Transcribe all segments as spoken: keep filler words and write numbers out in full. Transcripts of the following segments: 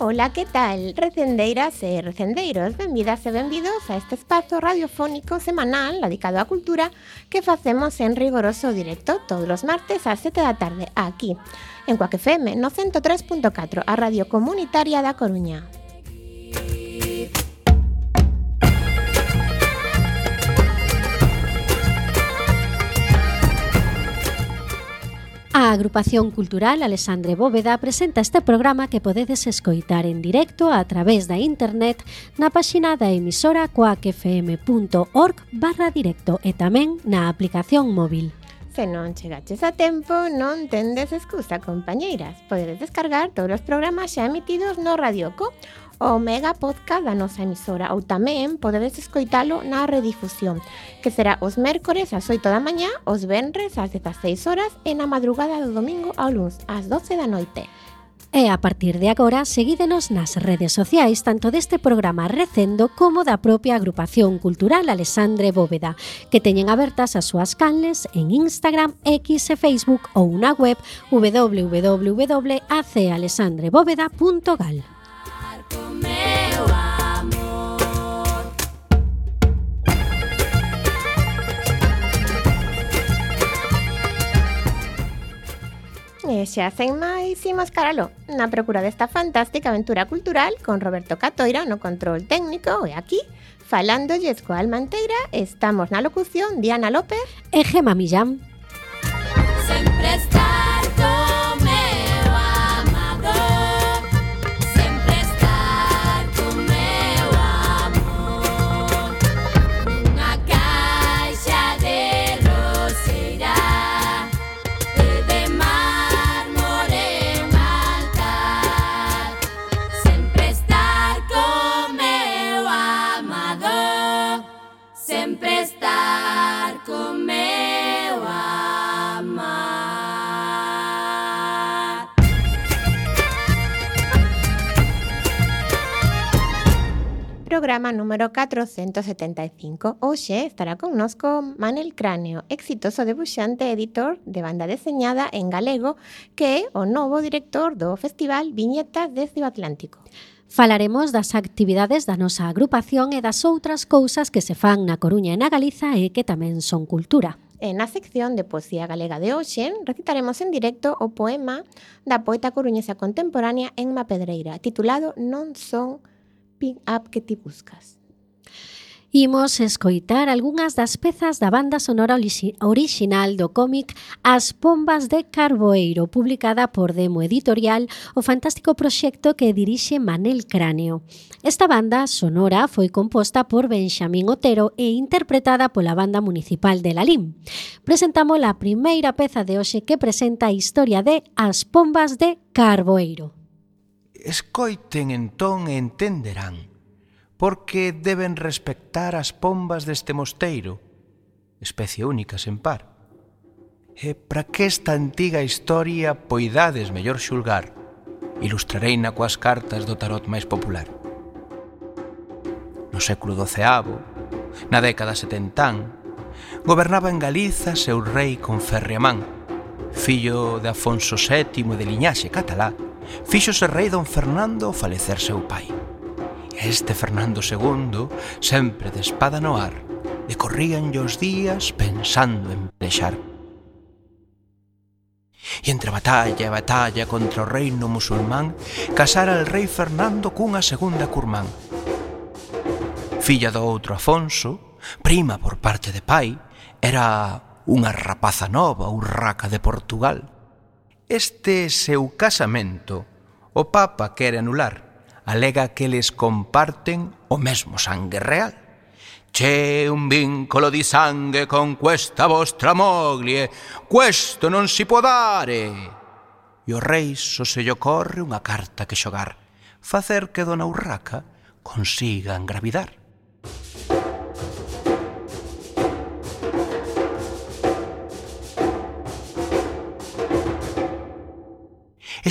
Ola, que tal? Recendeiras e recendeiros, benvidas e benvidos a este espazo radiofónico semanal dedicado á cultura que facemos en rigoroso directo todos os martes ás sete da tarde, aquí, en Cuac F M, no ciento tres punto catro, a radio comunitaria da Coruña. A Agrupación Cultural Alexandre Bóveda presenta este programa que podedes escoitar en directo a través da internet na páxina da emisora coacfm.org barra directo e tamén na aplicación móvil. Se non chegaches a tempo, non tendes excusa, compañeiras. Podedes descargar todos os programas xa emitidos no Radioco, o mega podcast da nosa emisora, ou tamén podedes escoitalo na redifusión, que será os mércores ás oito da mañá, os venres ás dezaseis horas e na madrugada do domingo ao luns ás doce da noite. E a partir de agora, seguídenos nas redes sociais tanto deste programa Recendo como da propia Agrupación Cultural Alexandre Bóveda, que teñen abertas as súas canles en Instagram, X e Facebook ou na web w w w punto a c alexandre bóveda punto gal. E xa sen máis, imos caralo na procura desta fantástica aventura cultural con Roberto Catoira no control técnico e aquí, falándolles coa alma enteira, estamos na locución Diana López e Gema Millán. Sempre estar co meu amador, sempre estar co meu amor, nunha caixa de roseira e de mármore un altar, sempre estar co meu amador, sempre estar co meu amar. Programa número catrocentos setenta e cinco. Hoxe estará connosco Manel Cráneo, exitoso debuxante e editor de banda deseñada en galego, que é o novo director do Festival Viñetas desde o Atlántico. Falaremos das actividades da nosa agrupación e das outras cousas que se fan na Coruña e na Galiza e que tamén son cultura. E na sección de poesía galega de hoxe recitaremos en directo o poema da poeta coruñesa contemporánea Enma Pedreira, titulado Non son pin-up que ti buscas. Imos escoitar algunhas das pezas da banda sonora orixinal do cómic As Pombas de Carboeiro, publicada por Demo Editorial, o fantástico proxecto que dirixe Manel Cráneo. Esta banda sonora foi composta por Benxamín Otero e interpretada pola Banda Municipal de Lalín. Presentamos a primeira peza de hoxe que presenta a historia de As Pombas de Carboeiro. Escoiten entón e entenderán porque deben respectar as pombas deste mosteiro, especie única sen par. E para que esta antiga historia poidades mellor xulgar, ilustrareina coas cartas do tarot máis popular. No século doceavo, na década setentán, gobernaba en Galiza seu rei con Ferriamán, fillo de Afonso sétimo de liñaxe catalá, fíxose rei don Fernando ao falecer seu pai. E este Fernando segundo, sempre de espada no ar, decorríanlle os días pensando en pelexar. E entre batalla e batalla contra o reino musulmán, casara el rei Fernando cunha segunda curmán. Filla do outro Afonso, prima por parte de pai, era unha rapaza nova, urraca de Portugal. Este seu casamento, o Papa quere anular, alega que les comparten o mesmo sangue real. C'è un vincolo di sangue con questa vostra moglie, questo non si può dare. E o rei só se lle ocorre unha carta que xogar, facer que dona Urraca consiga engravidar.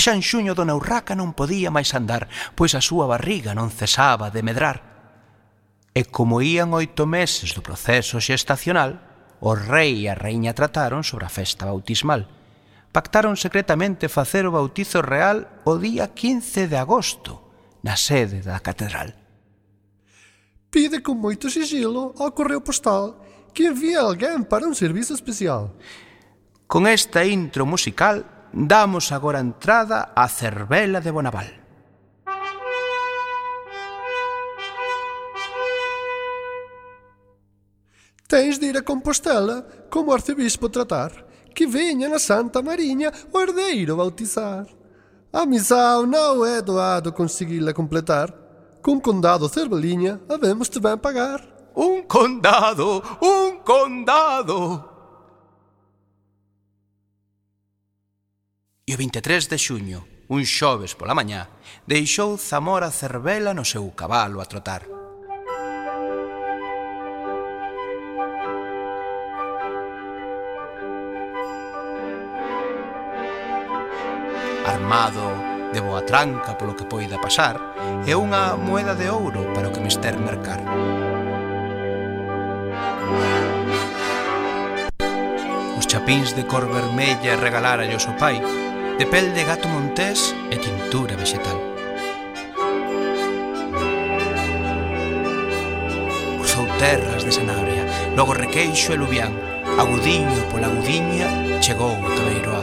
xa en xuño dona Urraca non podía máis andar, pois a súa barriga non cesaba de medrar. E como ían oito meses do proceso xestacional, o rei e a raíña trataron sobre a festa bautismal. Pactaron secretamente facer o bautizo real o día quince de agosto, na sede da catedral. Pide con moito sigilo ao correo postal que envíe alguén para un servizo especial. Con esta intro musical, damos agora entrada á Cervela de Bonaval. Tens de ir a Compostela como arcebispo tratar, que veña na Santa Mariña o herdeiro bautizar. A missão não é doado conseguir-la completar. Com condado Cerveliña havemos de bem pagar. Un condado, un condado. E o vinte e tres de xuño, un xoves pola mañá, deixou Zamora Cervela no seu cabalo a trotar. Armado de boa tranca polo que poida pasar, e unha moeda de ouro para o que mester mercar. Os chapíns de cor vermella regalárallos o pai, de pel de gato montés e tintura vegetal. Cruzou terras de Sanabria, logo Requeixo e Lubián, agudiño pola agudiña chegou a Cabeiroá.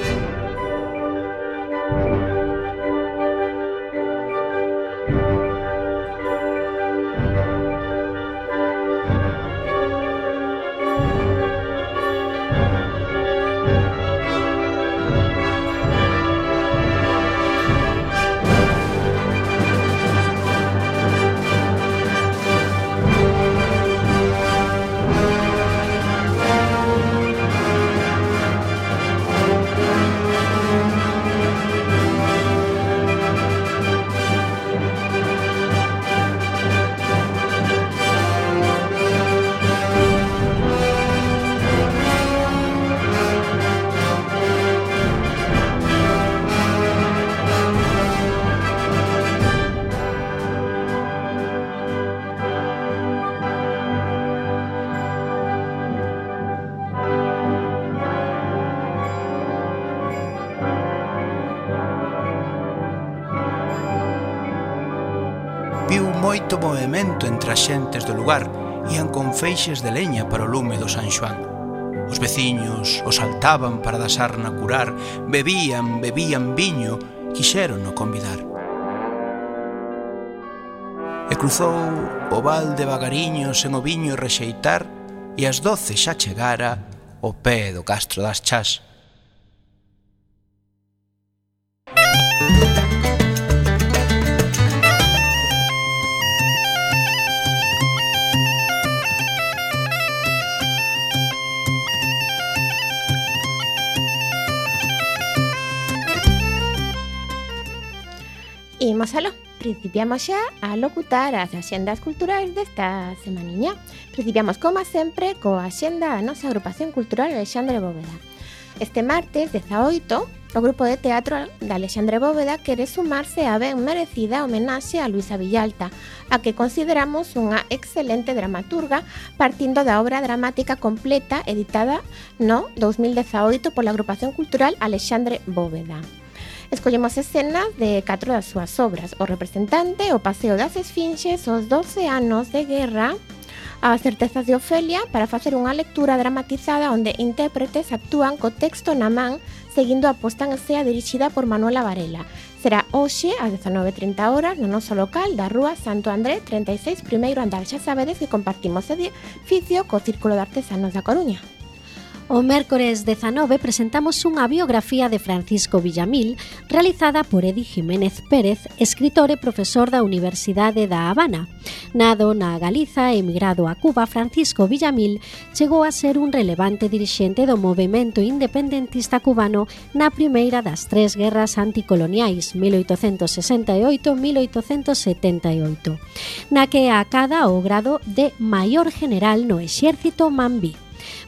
Viu moito movimento entre as xentes do lugar, ían con feixes de leña para o lume do San Xoán. Os veciños os saltaban para da sarna curar, bebían, bebían viño, quixeron no convidar. E cruzou o val de Bagariño sen o viño rexeitar, e ás doce xa chegara o pé do Castro das Chás. Imos aló, principiamos xa a locutar as axendas culturais desta semaniña. Principiamos, como sempre, coa axenda da nosa agrupación cultural Alexandre Bóveda. Este martes dezaoito, o grupo de teatro da Alexandre Bóveda quere sumarse á ben merecida homenaxe a Luisa Villalta, a que consideramos unha excelente dramaturga partindo da obra dramática completa editada no dous mil dezaoito pola agrupación cultural Alexandre Bóveda. Escollemos escenas de catro das súas obras: O representante, O paseo das esfinxes, Os doce anos de guerra, As certezas de Ofelia, para facer unha lectura dramatizada onde intérpretes actúan co texto na man, seguindo a posta en escena dirixida por Manuela Varela. Será hoxe ás dezanove e trinta horas no noso local da Rúa Santo André trinta e seis, primeiro andar. Xa sabedes que compartimos edificio co Círculo de Artesanos da Coruña. O mércores dezanove presentamos unha biografía de Francisco Villamil realizada por Edi Jiménez Pérez, escritor e profesor da Universidade da Habana. Nado na Galiza e emigrado a Cuba, Francisco Villamil chegou a ser un relevante dirixente do movemento independentista cubano na primeira das tres guerras anticoloniais, mil oitocentos sesenta e oito a mil oitocentos setenta e oito, na que acada o grado de maior general no exército mambí.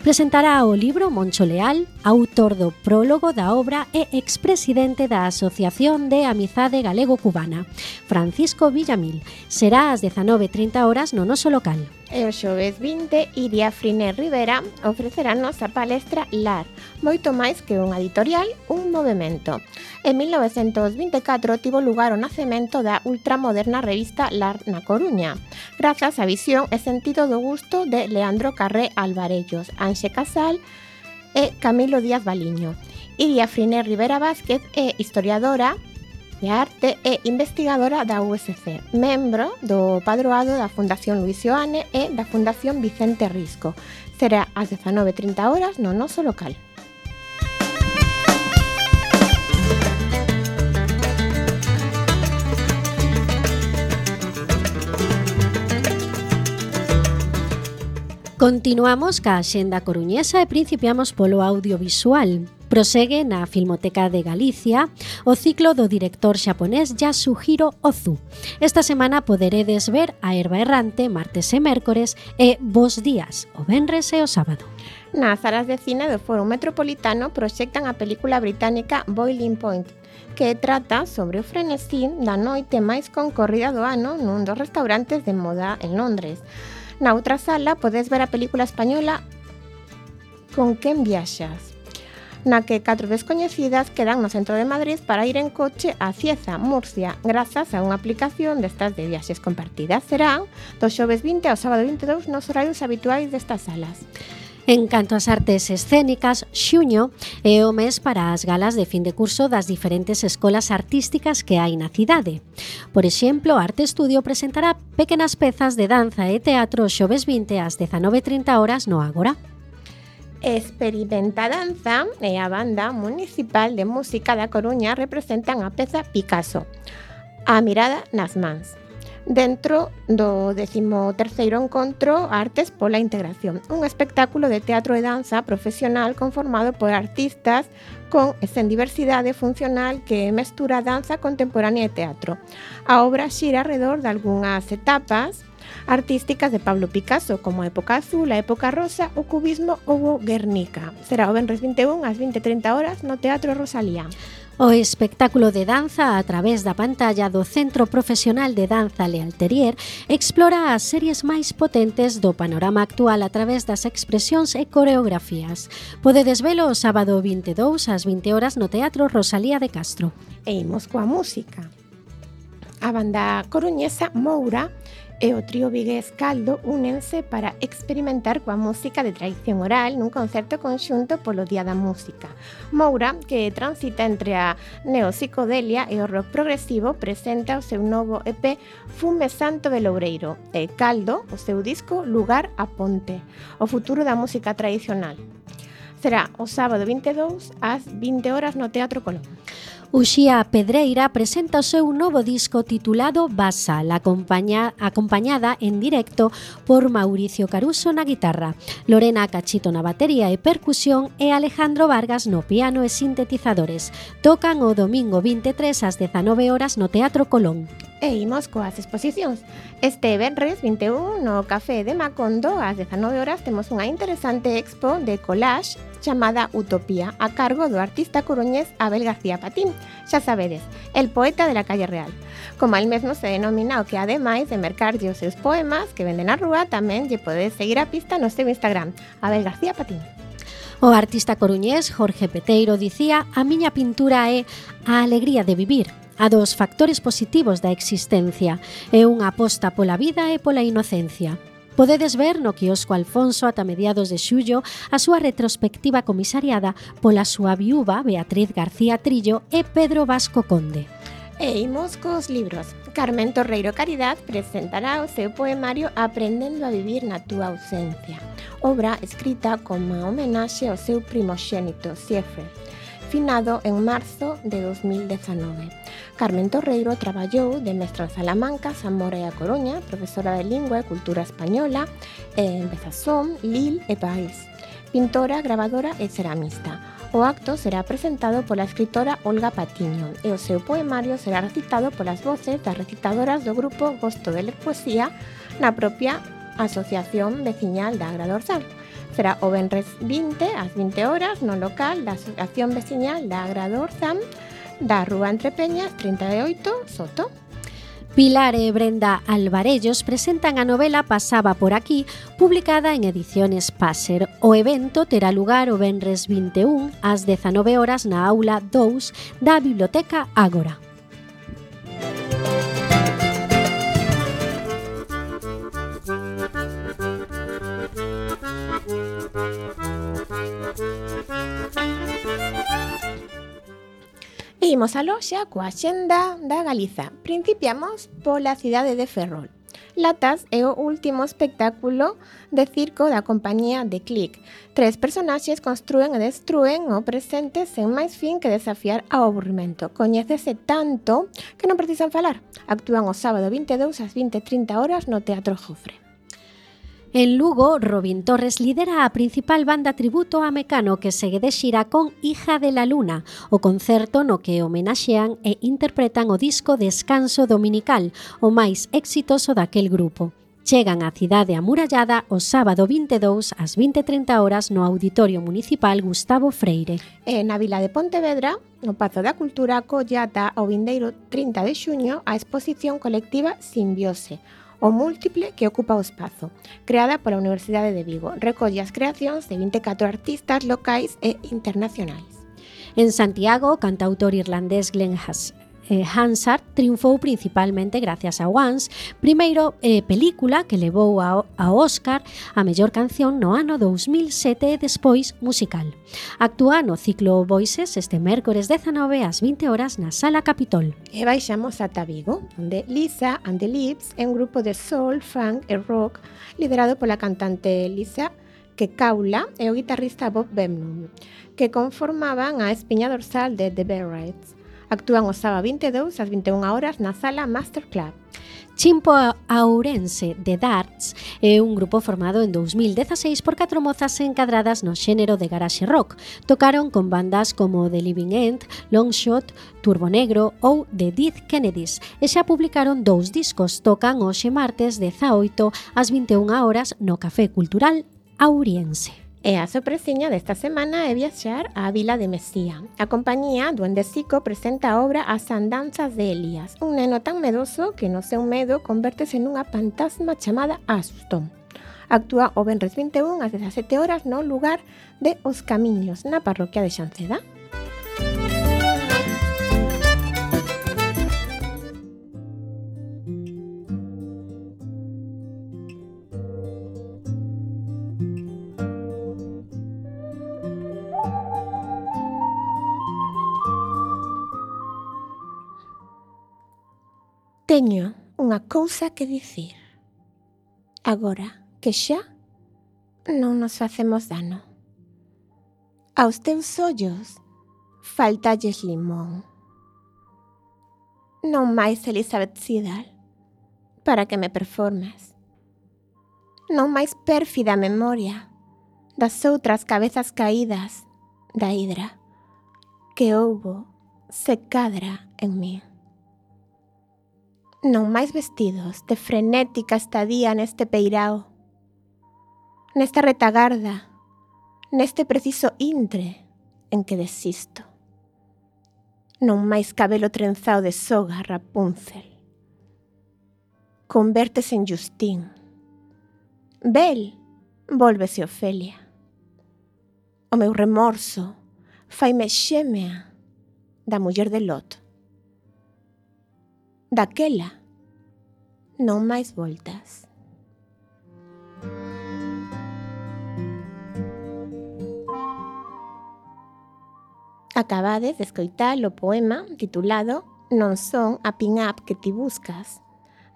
Presentará o libro Moncho Leal, autor do prólogo da obra e expresidente da Asociación de Amizade Galego-Cubana, Francisco Villamil. Será ás dezanove e trinta horas no noso local. E o xoves vinte, Iria Friner Rivera ofrecerános a palestra Lar, moito máis que unha editorial, un movemento. En mil novecentos vinte e catro tivo lugar o nacemento da ultramoderna revista Lar na Coruña, grazas á visión e sentido do gusto de Leandro Carré Alvarellos, Anxe Casal e Camilo Díaz Baliño. Iria Friner Rivera Vázquez é historiadora de arte e investigadora da U S C, membro do padroado da Fundación Luis Ioane e da Fundación Vicente Risco. Será ás dezanove e trinta horas no noso local. Continuamos ca axenda coruñesa e principiamos polo audiovisual. Prosegue na Filmoteca de Galicia o ciclo do director xaponés Yasuhiro Ozu. Esta semana poderedes ver A Herba Errante martes e mércores e Bos Días o venres e o sábado. Nas salas de cine do Foro Metropolitano proxectan a película británica Boiling Point, que trata sobre o frenesí da noite máis concorrida do ano nun dos restaurantes de moda en Londres. Na outra sala podes ver a película española Con quen viaxas, na que catro descoñecidas quedan no centro de Madrid para ir en coche a Cieza, Murcia, grazas a unha aplicación destas de viaxes compartidas. Serán do xoves vinte ao sábado vinte e dous nos horarios habituais destas salas. En canto ás artes escénicas, xuño é o mes para as galas de fin de curso das diferentes escolas artísticas que hai na cidade. Por exemplo, Arte Estudio presentará pequenas pezas de danza e teatro xoves vinte ás dezanove e trinta horas no Ágora. Experimenta Danza e a Banda Municipal de Música da Coruña representan a peza Picasso, A mirada nas mans, dentro do décimo terceiro encontro Artes pola Integración, un espectáculo de teatro e danza profesional conformado por artistas con e sen diversidade funcional que mestura danza contemporánea e teatro. A obra xira alrededor de algunhas etapas artísticas de Pablo Picasso, como a época azul, a época rosa, o cubismo ou o Guernica. Será o venres vinte e un ás vinte e trinta horas no Teatro Rosalía. O espectáculo de danza a través da pantalla do Centro Profesional de Danza Lealterier explora as series máis potentes do panorama actual a través das expresións e coreografías. Podedes velo o sábado vinte e dous ás vinte horas no Teatro Rosalía de Castro. E imos coa música. A banda coruñesa Moura e o trío vigués Caldo únense para experimentar coa música de tradición oral nun concerto conxunto polo Día da Música. Moura, que transita entre a neopsicodelia e o rock progresivo, presenta o seu novo E P Fume Santo de Loureiro e Caldo, o seu disco Lugar a Ponte, o futuro da música tradicional. Será o sábado vinte e dous ás vinte horas no Teatro Colón. Uxía Pedreira presenta o seu novo disco titulado Basal, acompaña, acompañada en directo por Mauricio Caruso na guitarra, Lorena Cachito na batería e percusión e Alejandro Vargas no piano e sintetizadores. Tocan o domingo vinte e tres ás dezanove horas no Teatro Colón. E imos coas exposicións. Este venres vinte e un no Café de Macondo ás dezanove horas temos unha interesante expo de collage chamada Utopía, a cargo do artista coruñés Abel García Patín. Xa sabedes, el poeta de la calle real. Como el mesmo se denomina o que ademais de mercarlle os seus poemas que venden na rúa, tamén lle podedes seguir a pista no seu Instagram, Abel García Patín. O artista coruñés Jorge Peteiro dicía: a miña pintura é a alegría de vivir, a dos factores positivos da existencia, é unha aposta pola vida e pola inocencia. Podedes ver no quiosco Alfonso ata mediados de xullo a súa retrospectiva comisariada pola súa viúva Beatriz García Trillo e Pedro Vasco Conde. E imos cos libros. Carmen Torreiro Caridad presentará o seu poemario Aprendendo a vivir na túa ausencia, obra escrita como homenaxe ao seu primoxénito, Siegfried, finado en marzo de dos mil dezanove. Carmen Torreiro traballou de mestra en Salamanca, Zamora e a Coruña, profesora de Lingua e Cultura Española en Besançon, Lille e París, pintora, grabadora e ceramista. O acto será presentado pola escritora Olga Patiño e o seu poemario será recitado polas voces das recitadoras do grupo Gosto de Ler Poesía na propia Asociación Veciñal da Agra Dorsal. Será o venres vinte ás vinte horas no local da Asociación Veciñal da Agra do Orzán da Rúa Entre Peñas trinta e oito, Soto. Pilar e Brenda Alvarellos presentan a novela Pasaba por aquí, publicada en Ediciones Passer. O evento terá lugar o venres vinte e un ás dezanove horas na aula dous da Biblioteca Ágora. E imos a loxa coa axenda da Galiza. Principiamos pola cidade de Ferrol. Latas é o último espectáculo de circo da compañía de Click. Tres personaxes construen e destruen o presente sen máis fin que desafiar ao aburrimento. Coñécese tanto que non precisan falar. Actúan o sábado vinte e dous ás vinte e trinta horas no Teatro Jofre. En Lugo, Robin Torres lidera a principal banda tributo a Mecano que segue de xira con Hija de la Luna, o concerto no que homenaxean e interpretan o disco Descanso Dominical, o máis exitoso daquel grupo. Chegan á cidade amurallada o sábado vinte e dous ás vinte e trinta horas no Auditorio Municipal Gustavo Freire. E na vila de Pontevedra, no Pazo da Cultura, acollata o vindeiro trinta de xuño a exposición colectiva Simbiose, o múltiple que ocupa o espazo, creada pola Universidade de Vigo. Recolle as creacións de vinte e catro artistas locais e internacionais. En Santiago, o cantautor irlandés Glenn Has eh, Hansard triunfou principalmente gracias a Once, primeiro eh, película que levou ao, ao Óscar a mellor canción no ano dous mil sete e despois musical. Actúa no ciclo Voices este mércores dezanove ás vinte horas na Sala Capitol. E baixamos ata Vigo, onde Lisa and the Lips é un grupo de soul, funk e rock liderado pola cantante Lisa que Caula e o guitarrista Bob Bemnum, que conformaban a espiña dorsal de The Barretts. Actúan o sábado vinte e dous ás vinte e unha horas na Sala Master Club. Chimpo Ourense de Darts é un grupo formado en dous mil dezaseis por catro mozas encadradas no xénero de garaxe rock. Tocaron con bandas como The Living End, Longshot, Turbo Negro ou The Dead Kennedys e xa publicaron dous discos. Tocan hoxe martes dezaoito ás vinte e unha horas no Café Cultural Auriense. E a sorpresiña desta semana é viaxar á vila de Mesía. A compañía Duende Sico presenta a obra As andanzas de Elías, un neno tan medoso que no seu medo convértese nunha fantasma chamada Asustón. Actúa o venres vinte e un ás dezasete horas no lugar de Os Camiños, na parroquia de Xanceda. Teño unha cousa que dicir. Agora que xa non nos facemos dano. Aos teus ollos faltalles limón. Non máis Elizabeth Siddal para que me performes. Non máis pérfida memoria das outras cabezas caídas da hidra que houbo se cadra en mí. Non máis vestidos de frenética estadía neste peirao, nesta retagarda, neste preciso intre en que desisto. Non máis cabelo trenzao de soga Rapunzel. Convértese en Justín. Bel, vólvese Ofelia. O meu remorso faime xémea da muller de Lot. Daquela, non máis voltas. Acabades de escoitar o poema titulado Non son a pin-up que ti buscas,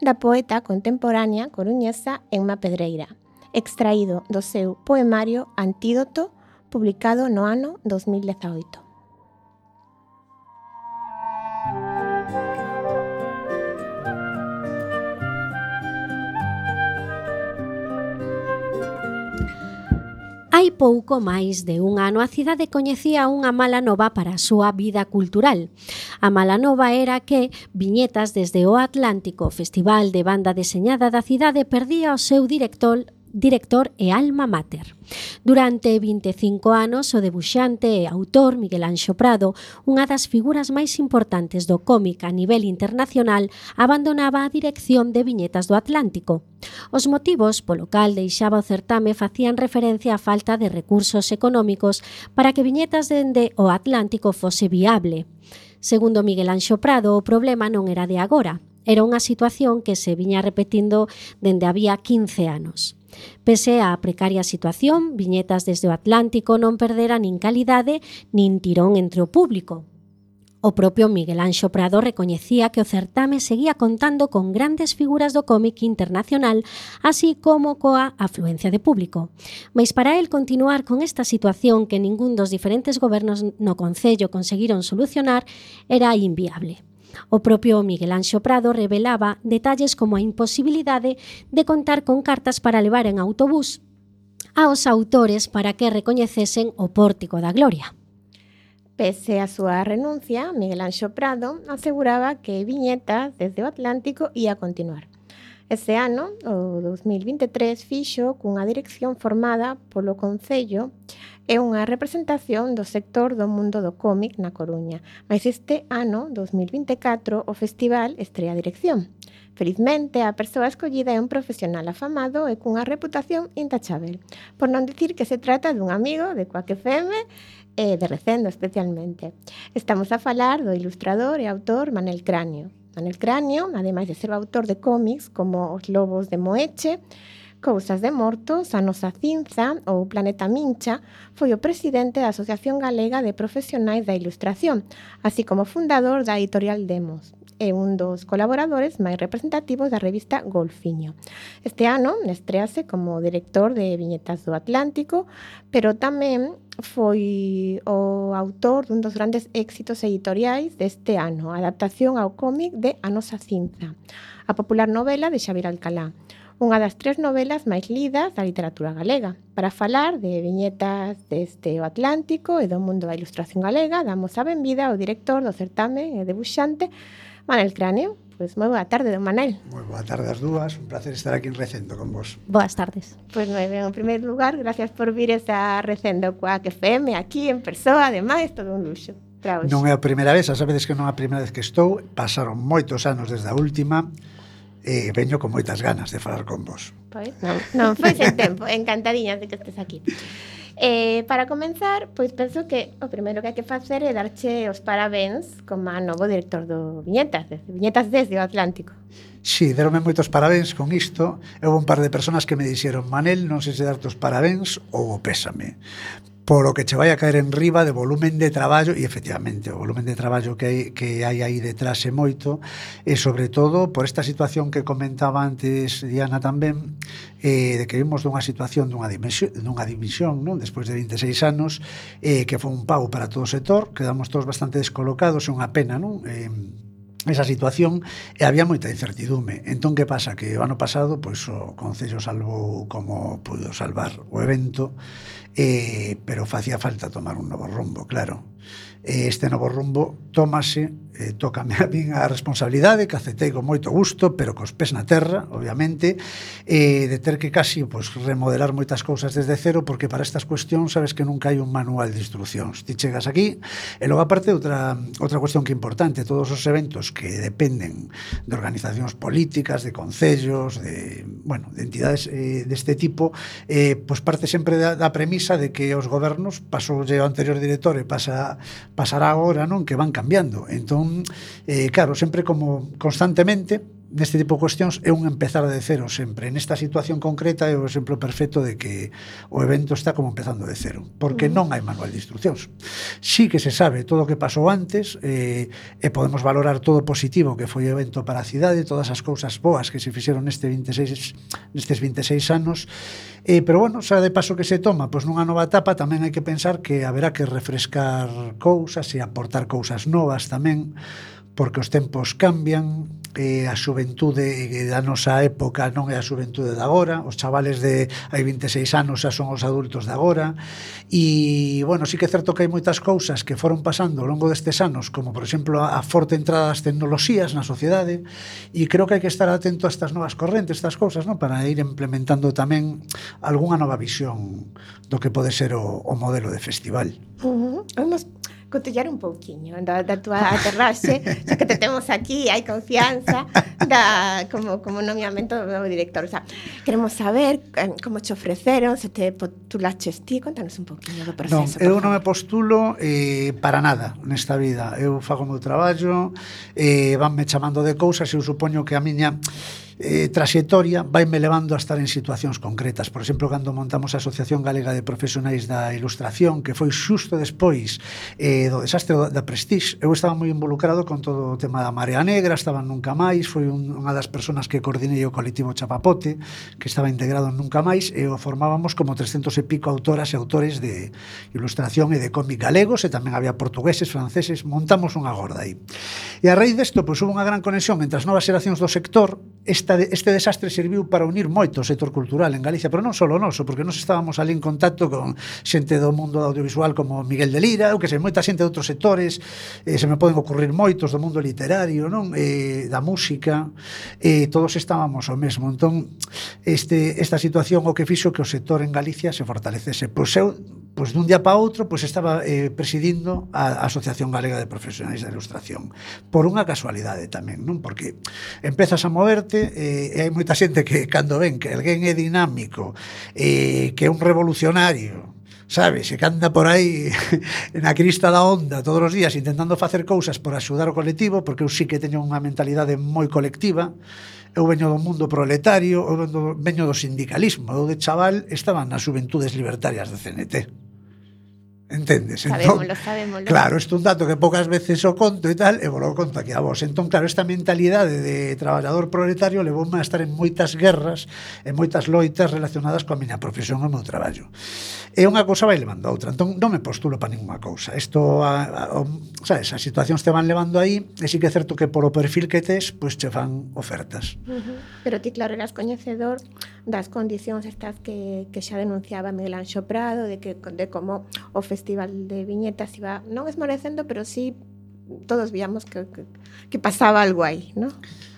da poeta contemporánea coruñesa Emma Pedreira, extraído do seu poemario Antídoto, publicado no ano dos mil dezaoito. Hai pouco máis de un ano a cidade coñecía unha mala nova para a súa vida cultural. A mala nova era que Viñetas desde o Atlántico, festival de banda deseñada da cidade, perdía o seu director director e alma mater. Durante vinte e cinco anos, o debuxante e autor Miguel Anxo Prado, unha das figuras máis importantes do cómic a nivel internacional, abandonaba a dirección de Viñetas do Atlántico. Os motivos polo cal deixaba o certame facían referencia á falta de recursos económicos para que Viñetas dende o Atlántico fose viable. Segundo Miguel Anxo Prado, o problema non era de agora, era unha situación que se viña repetindo dende había quince anos. Pese á precaria situación, Viñetas desde o Atlántico non perdera nin calidade nin tirón entre o público. O propio Miguel Anxo Prado recoñecía que o certame seguía contando con grandes figuras do cómic internacional, así como coa afluencia de público. Mais para el continuar con esta situación que ningún dos diferentes gobernos no Concello conseguiron solucionar era inviable. O propio Miguel Anxo Prado revelaba detalles como a imposibilidade de contar con cartas para levar en autobús aos autores para que recoñecesen o Pórtico da Gloria. Pese a súa renuncia, Miguel Anxo Prado aseguraba que Viñetas desde o Atlántico ia continuar. Ese ano, o dos mil vinte e tres, fixo cunha dirección formada polo Concello e unha representación do sector do mundo do cómic na Coruña. Mas este ano, dos mil vinte e catro, o festival estrea a dirección. Felizmente, a persoa escollida é un profesional afamado e cunha reputación intachável, por non dicir que se trata dun amigo de Quack F M e de Recendo especialmente. Estamos a falar do ilustrador e autor Manel Cráneo. Manel Cráneo, ademais de ser o autor de cómics como Os Lobos de Moeche, Cousas de Mortos, A Nosa Cinza ou Planeta Mincha, foi o presidente da Asociación Galega de Profesionais da Ilustración, así como fundador da editorial Demos, e un dos colaboradores máis representativos da revista Golfiño. Este ano estrease como director de Viñetas do Atlántico, pero tamén foi o autor dun dos grandes éxitos editoriais deste ano, a adaptación ao cómic de A Nosa Cinza, a popular novela de Xavier Alcalá, unha das tres novelas máis lidas da literatura galega. Para falar de Viñetas deste o Atlántico e do mundo da ilustración galega, damos a benvida ao director do certame e debuxante, Manel Cráneo. Pois moi boa tarde, don Manel. Moi boa tarde as dúas, un placer estar aquí en Recendo con vos. Boas tardes. Pois moi ben, en primeiro lugar, gracias por vir a Recendo Quack F M aquí en persoa, ademais, todo un luxo. Non é a primeira vez, a sabedes que non é a primeira vez que estou, pasaron moitos anos desde a última, e veño con moitas ganas de falar con vos. Pois non, non foi sen tempo, encantadiñas de que estés aquí. Eh, para comenzar, pois penso que o primeiro que hai que facer é darche os parabéns como a novo director do Viñetas, desde, Viñetas desde o Atlántico. Sí, deronme moitos parabéns con isto. Houve un par de personas que me dixeron: Manel, non sei se darte os parabéns ou o pésame, polo que che vai a caer en riba de volumen de traballo, e efectivamente o volumen de traballo que hai, que hai aí detrás é moito, e sobre todo por esta situación que comentaba antes Diana tamén, eh, de que vimos dunha situación dunha dimisión, dunha dimisión non? Despois de vinte e seis anos, eh, que foi un pau para todo o sector, quedamos todos bastante descolocados, é unha pena, non? Eh, esa situación, e había moita incertidume. Entón, que pasa? Que o ano pasado, pois, o Concello salvou como pudo salvar o evento, eh, pero facía falta tomar un novo rumbo, claro. Este novo rumbo tómase, eh, tócame a min a responsabilidade, que aceptei con moito gusto, pero cos pés na terra, obviamente, eh, de ter que casi pues, remodelar moitas cousas desde cero, porque para estas cuestións sabes que nunca hai un manual de instruccións. Ti chegas aquí, e logo aparte outra, outra cuestión que é importante, todos os eventos que dependen de organizacións políticas, de concellos, de, bueno, de entidades eh, deste tipo, eh, pues parte sempre da, da premisa de que os gobernos, pasou o anterior director e pasa pasará agora, non, que van cambiando. Entón, eh, claro, sempre como constantemente neste tipo de cuestións é un empezar de cero sempre. Nesta situación concreta é o exemplo perfecto de que o evento está como empezando de cero, porque non hai manual de instruccións. Sí que se sabe todo o que pasou antes, eh, e podemos valorar todo o positivo que foi o evento para a cidade, todas as cousas boas que se fixeron neste vinte e seis, nestes vinte e seis anos, eh, pero bueno, xa de paso que se toma, pois nunha nova etapa tamén hai que pensar que haberá que refrescar cousas e aportar cousas novas tamén, porque os tempos cambian, eh, a xuventude da nosa época non é a xuventude de agora, os chavales de hai vinte e seis anos xa son os adultos de agora, e, bueno, sí que é certo que hai moitas cousas que foron pasando ao longo destes anos, como, por exemplo, a forte entrada das tecnoloxías na sociedade, e creo que hai que estar atento a estas novas correntes, estas cousas, non? Para ir implementando tamén algunha nova visión do que pode ser o, o modelo de festival. Uh -huh. Vamos cotillar un pouquiño da, da túa aterraxe, xa que te temos aquí, hai confianza da, como, como nomeamento do novo director. O sea, queremos saber eh, como te ofreceron, se te postulaches ti, contanos un pouquiño do proceso. Non, eu non me postulo eh, para nada nesta vida. Eu fago o meu traballo, eh, vanme chamando de cousas e eu supoño que a miña eh, traxectoria vaime levando a estar en situacións concretas. Por exemplo, cando montamos a Asociación Galega de Profesionais da Ilustración, que foi xusto despois eh, do desastre da Prestige, eu estaba moi involucrado con todo o tema da Marea Negra, estaba en Nunca Máis, foi un, unha das persoas que coordinei o colectivo Chapapote, que estaba integrado en Nunca Máis, e o formábamos como trescentos e pico autoras e autores de ilustración e de cómic galegos, e tamén había portugueses, franceses, montamos unha gorda aí. E a raíz desto, pois, hubo unha gran conexión entre as novas xeracións do sector. Esta, este desastre serviu para unir moito o sector cultural en Galicia, pero non só o noso, porque nós estábamos ali en contacto con xente do mundo audiovisual como Miguel de Lira, ou que sei, moita xente de outros sectores, eh, se me poden ocurrir moitos do mundo literario, non? Eh, da música, eh, todos estábamos o mesmo. Entón, este, esta situación o que fixo que o sector en Galicia se fortalecese. Pois eu, pois dun día para outro, pois estaba eh, presidindo a, a Asociación Galega de Profesionais da Ilustración. Por unha casualidade tamén, non? Porque empezas a moverte, e hai moita xente que cando ven que alguén é dinámico, eh, que é un revolucionario, sabes, e que anda por aí na crista da onda todos os días intentando facer cousas por axudar o colectivo, porque eu sí que teño unha mentalidade moi colectiva. Eu veño do mundo proletario, eu veño, veño do sindicalismo. Eu de chaval estaba nas Xuventudes Libertarias de C N T. Entendes? Sabémolo, entón, sabémolo. Claro, isto é un dato que poucas veces o conto e tal, e vos lo conto aquí a vos. Entón, claro, esta mentalidade de traballador proletario levoume a estar en moitas guerras e moitas loitas relacionadas coa miña profesión e o meu traballo. E unha cousa vai levando a outra. Entón, non me postulo para ninguna cousa. Isto, a, a, sabes, as situacións te van levando aí, e sí que é certo que polo perfil que tes, pois che fan ofertas. Uh -huh. Pero ti, claro, eras coñecedor das condicións estas que, que xa denunciaba Miguel Anxo Prado, de, que, de como o Festival de Viñetas iba non esmorecendo, pero sí todos víamos que, que, que pasaba algo aí, ¿no?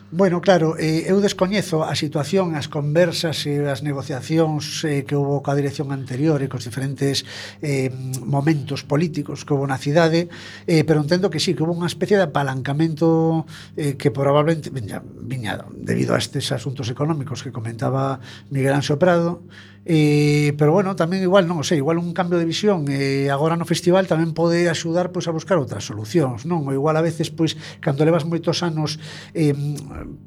Bueno, claro, eh, eu descoñezo a situación, as conversas e as negociacións eh, que houve coa dirección anterior e cos diferentes eh, momentos políticos que houve na cidade, eh, pero entendo que sí, que houve unha especie de apalancamento eh, que probablemente viña, viña debido a estes asuntos económicos que comentaba Miguel Anxo Prado. Eh, pero bueno, tamén igual, non o sei, igual un cambio de visión eh, agora no festival tamén pode axudar pois a buscar outras solucións, non? Ou igual a veces, pois, cando levas moitos anos eh,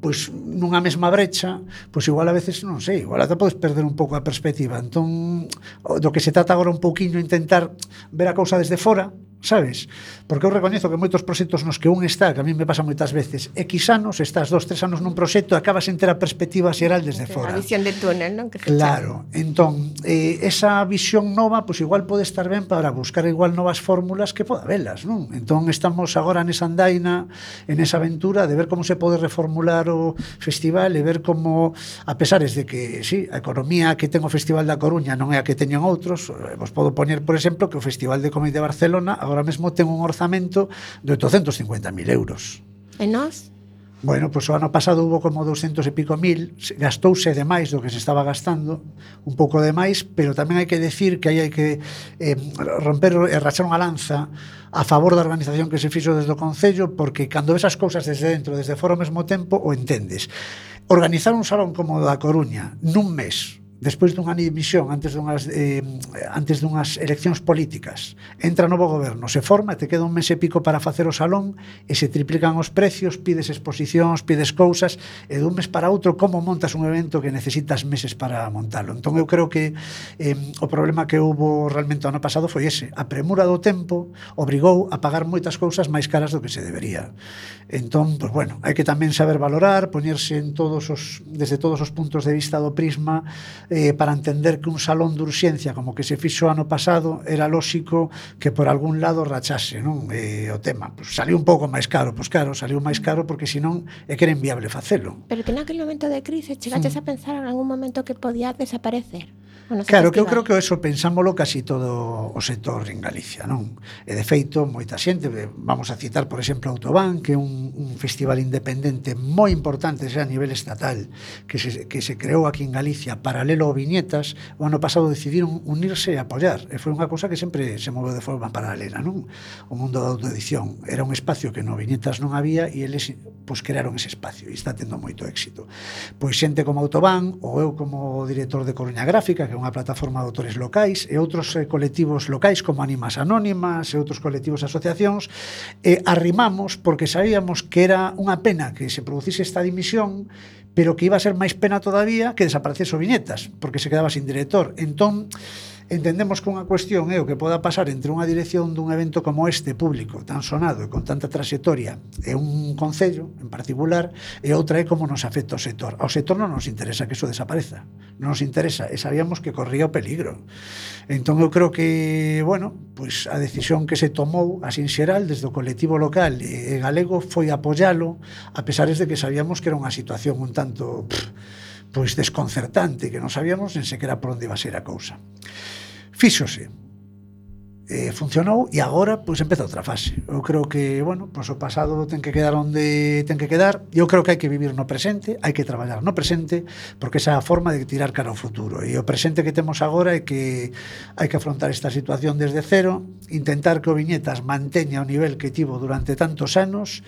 pois nunha mesma brecha, pois igual a veces, non sei, igual ata podes perder un pouco a perspectiva. Entón, do que se trata agora un pouquiño intentar ver a cousa desde fora, sabes? Porque eu recoñezo que moitos proxectos nos que un está, que a mí me pasa moitas veces, X anos, estás dos, tres anos nun proxecto e acabas en ter a perspectiva xeral desde fora. A visión de túnel, non? Que Claro, entón, eh, esa visión nova, pois igual pode estar ben para buscar igual novas fórmulas que poda velas, non? Entón estamos agora nesa andaina, en esa aventura de ver como se pode reformular o festival e ver como, a pesares de que, sí, a economía que ten o Festival da Coruña non é a que teñen outros, vos podo poñer, por exemplo, que o Festival de Cómic de Barcelona agora mesmo ten un orzamento de oitocentos cincuenta mil euros. E nós? Bueno, pois o ano pasado hubo como doscientos e pico mil, gastouse de máis do que se estaba gastando, un pouco de máis, pero tamén hai que decir que aí hai que eh, romper e rachar unha lanza a favor da organización que se fixo desde o Concello, porque cando ves as cousas desde dentro, desde fora ao mesmo tempo, o entendes. Organizar un salón como o da Coruña nun mes, despois dunha dimisión, antes dunhas, eh, antes dunhas eleccións políticas, entra novo goberno, se forma, te queda un mes e pico para facer o salón e se triplican os precios, pides exposicións, pides cousas, e dun mes para outro, como montas un evento que necesitas meses para montalo? Entón eu creo que eh, o problema que houbo realmente o ano pasado foi ese, a premura do tempo obrigou a pagar moitas cousas máis caras do que se debería. Entón, pues bueno, hai que tamén saber valorar, poñerse en todos os, desde todos os puntos de vista do prisma eh, para entender que un salón de urxencia como que se fixo ano pasado era lóxico que por algún lado rachase, non? Eh, o tema, pues, saliu un pouco máis caro, pois claro, saliu máis caro porque senón é que era inviable facelo. Pero que naquele momento de crise chegaches a pensar en algún momento que podía desaparecer? Claro, que eu creo que eso pensámolo casi todo o sector en Galicia, non? E de feito, moita xente, vamos a citar, por exemplo, Autobán, que é un, un festival independente moi importante xa a nivel estatal, que se, que se creou aquí en Galicia paralelo ao Viñetas, o ano pasado decidiron unirse e apoiar, e foi unha cousa que sempre se moveu de forma paralela, non? O mundo da autoedición era un espacio que no Viñetas non había e eles pois, crearon ese espacio e está tendo moito éxito. Pois xente como Autobán, ou eu como director de Coruña Gráfica, que é unha plataforma de autores locais, e outros eh, colectivos locais como Ánimas Anónimas e outros colectivos e asociacións, eh, arrimamos porque sabíamos que era unha pena que se producise esta dimisión, pero que iba a ser máis pena todavía que desaparecese o Viñetas, porque se quedaba sin director. Entón, entendemos que unha cuestión é o que poda pasar entre unha dirección dun evento como este público, tan sonado e con tanta trayectoria, e un concello en particular, e outra é como nos afecta o sector. Ao sector non nos interesa que eso desapareza, non nos interesa, e sabíamos que corría o peligro. Entón eu creo que, bueno, pois a decisión que se tomou así en xeral desde o colectivo local e galego foi apoialo, a pesar de que sabíamos que era unha situación un tanto pff, pois desconcertante, que non sabíamos nen sequera por onde iba a ser a cousa. Fíxose, eh, funcionou e agora pois empeza outra fase. Eu creo que, bueno, pois o pasado ten que quedar onde ten que quedar. Eu creo que hai que vivir no presente, hai que traballar no presente, porque esa é a forma de tirar cara ao futuro. E o presente que temos agora é que hai que afrontar esta situación desde cero, intentar que o Viñetas manteña o nivel que tivo durante tantos anos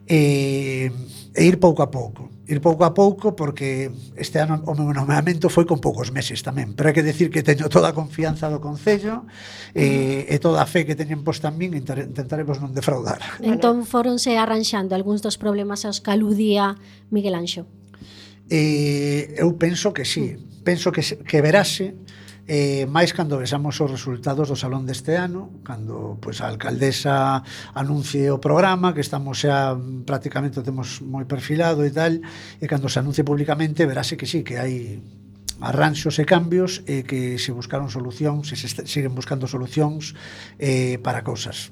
e, e ir pouco a pouco. Ir pouco a pouco porque este ano o meu nomeamento foi con poucos meses tamén, pero hai que decir que teño toda a confianza do Concello e, e toda a fe que teñen posta en min, intentaremos non defraudar. Entón foronse arranxando algúns dos problemas aos que aludía Miguel Anxo. Eh, eu penso que sí, penso que, que verase eh, máis cando vexamos os resultados do salón deste ano, cando pois, a alcaldesa anuncie o programa, que estamos xa prácticamente o temos moi perfilado e tal, e cando se anuncie públicamente verase que sí, que hai arranxos e cambios e que se buscaron solucións, se, se siguen buscando solucións eh, para cousas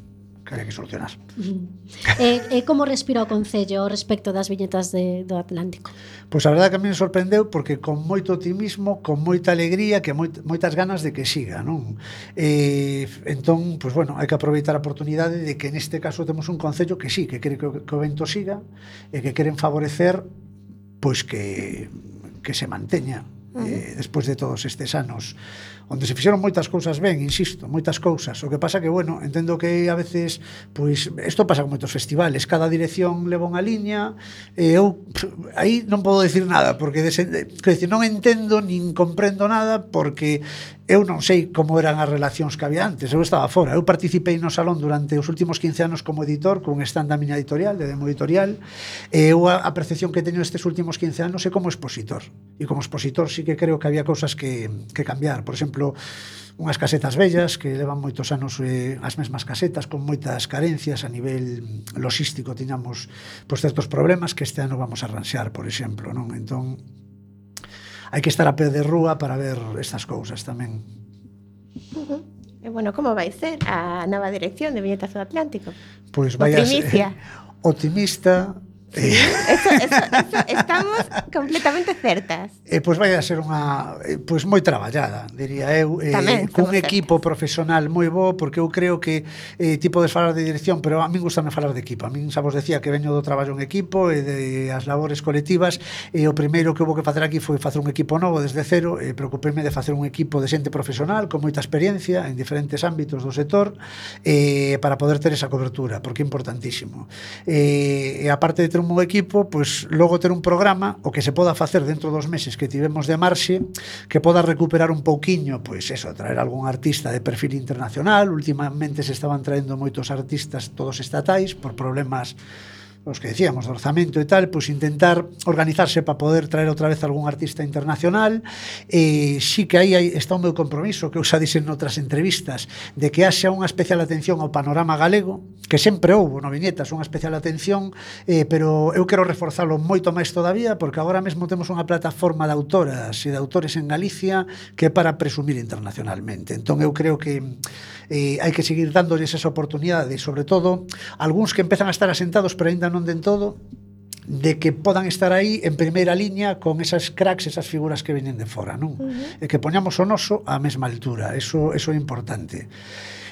que hai que solucionar. Uh-huh. E, e como respira o Concello respecto das viñetas de, do Atlántico? Pois a verdade que a mí me sorprendeu porque con moito optimismo, con moita alegría, que moit, moitas ganas de que siga, non? E, entón, pois bueno, hai que aproveitar a oportunidade de que neste caso temos un Concello que sí, que quere que o, que o evento siga e que queren favorecer pois que, que se manteña eh, despois de todos estes anos onde se fixeron moitas cousas ben, insisto, moitas cousas. O que pasa que, bueno, entendo que a veces, pois, isto pasa con moitos festivales, cada dirección leva unha liña, e eu aí non podo decir nada, porque dese, que decir, non entendo nin comprendo nada, porque eu non sei como eran as relacións que había antes, eu estaba fora. Eu participei no salón durante os últimos quince anos como editor, con stand da miña editorial, de Demo Editorial, e eu a, a percepción que teño estes últimos quince anos é como expositor. E como expositor sí que creo que había cousas que, que cambiar. Por exemplo, unhas casetas vellas que levan moitos anos eh, as mesmas casetas con moitas carencias a nivel logístico, tiñamos pois, certos problemas que este ano vamos a arranxar, por exemplo, non? Entón hai que estar a pé de rúa para ver estas cousas tamén. Uh-huh. E bueno, como vai ser a nova dirección de Viñetas do Atlántico? Pois vai a ser optimista. Sí, eso, eso, eso, estamos completamente certas. Eh, pois vai a ser unha eh, pois moi traballada, diría eu, eh, Tamén, cun equipo certas. profesional moi bo, porque eu creo que eh, ti podes falar de dirección, pero a min gustame falar de equipo. A min xa vos decía que veño do traballo en equipo e de as labores colectivas, e o primeiro que houve que facer aquí foi facer un equipo novo desde cero, e preocupéme de facer un equipo de xente profesional con moita experiencia en diferentes ámbitos do sector, eh, para poder ter esa cobertura, porque é importantísimo. Eh, e aparte de ter un bo equipo, pois logo ter un programa o que se poda facer dentro dos meses que tivemos de marxe, que poda recuperar un pouquiño, pois eso, traer algún artista de perfil internacional. Últimamente se estaban traendo moitos artistas todos estatais por problemas os que decíamos, do orzamento e tal, pois intentar organizarse para poder traer outra vez algún artista internacional. E sí que aí está o meu compromiso, que eu xa dixen noutras entrevistas, de que haxa unha especial atención ao panorama galego, que sempre houbo no Viñetas unha especial atención, eh, pero eu quero reforzalo moito máis todavía, porque agora mesmo temos unha plataforma de autoras e de autores en Galicia que é para presumir internacionalmente. Entón eu creo que eh, hai que seguir dándolles esa oportunidade, sobre todo algúns que empezan a estar asentados pero ainda non den todo, de que podan estar aí en primeira liña con esas cracks, esas figuras que veñen de fora, non? Uh-huh. E que poñamos o noso á mesma altura, eso, eso é importante.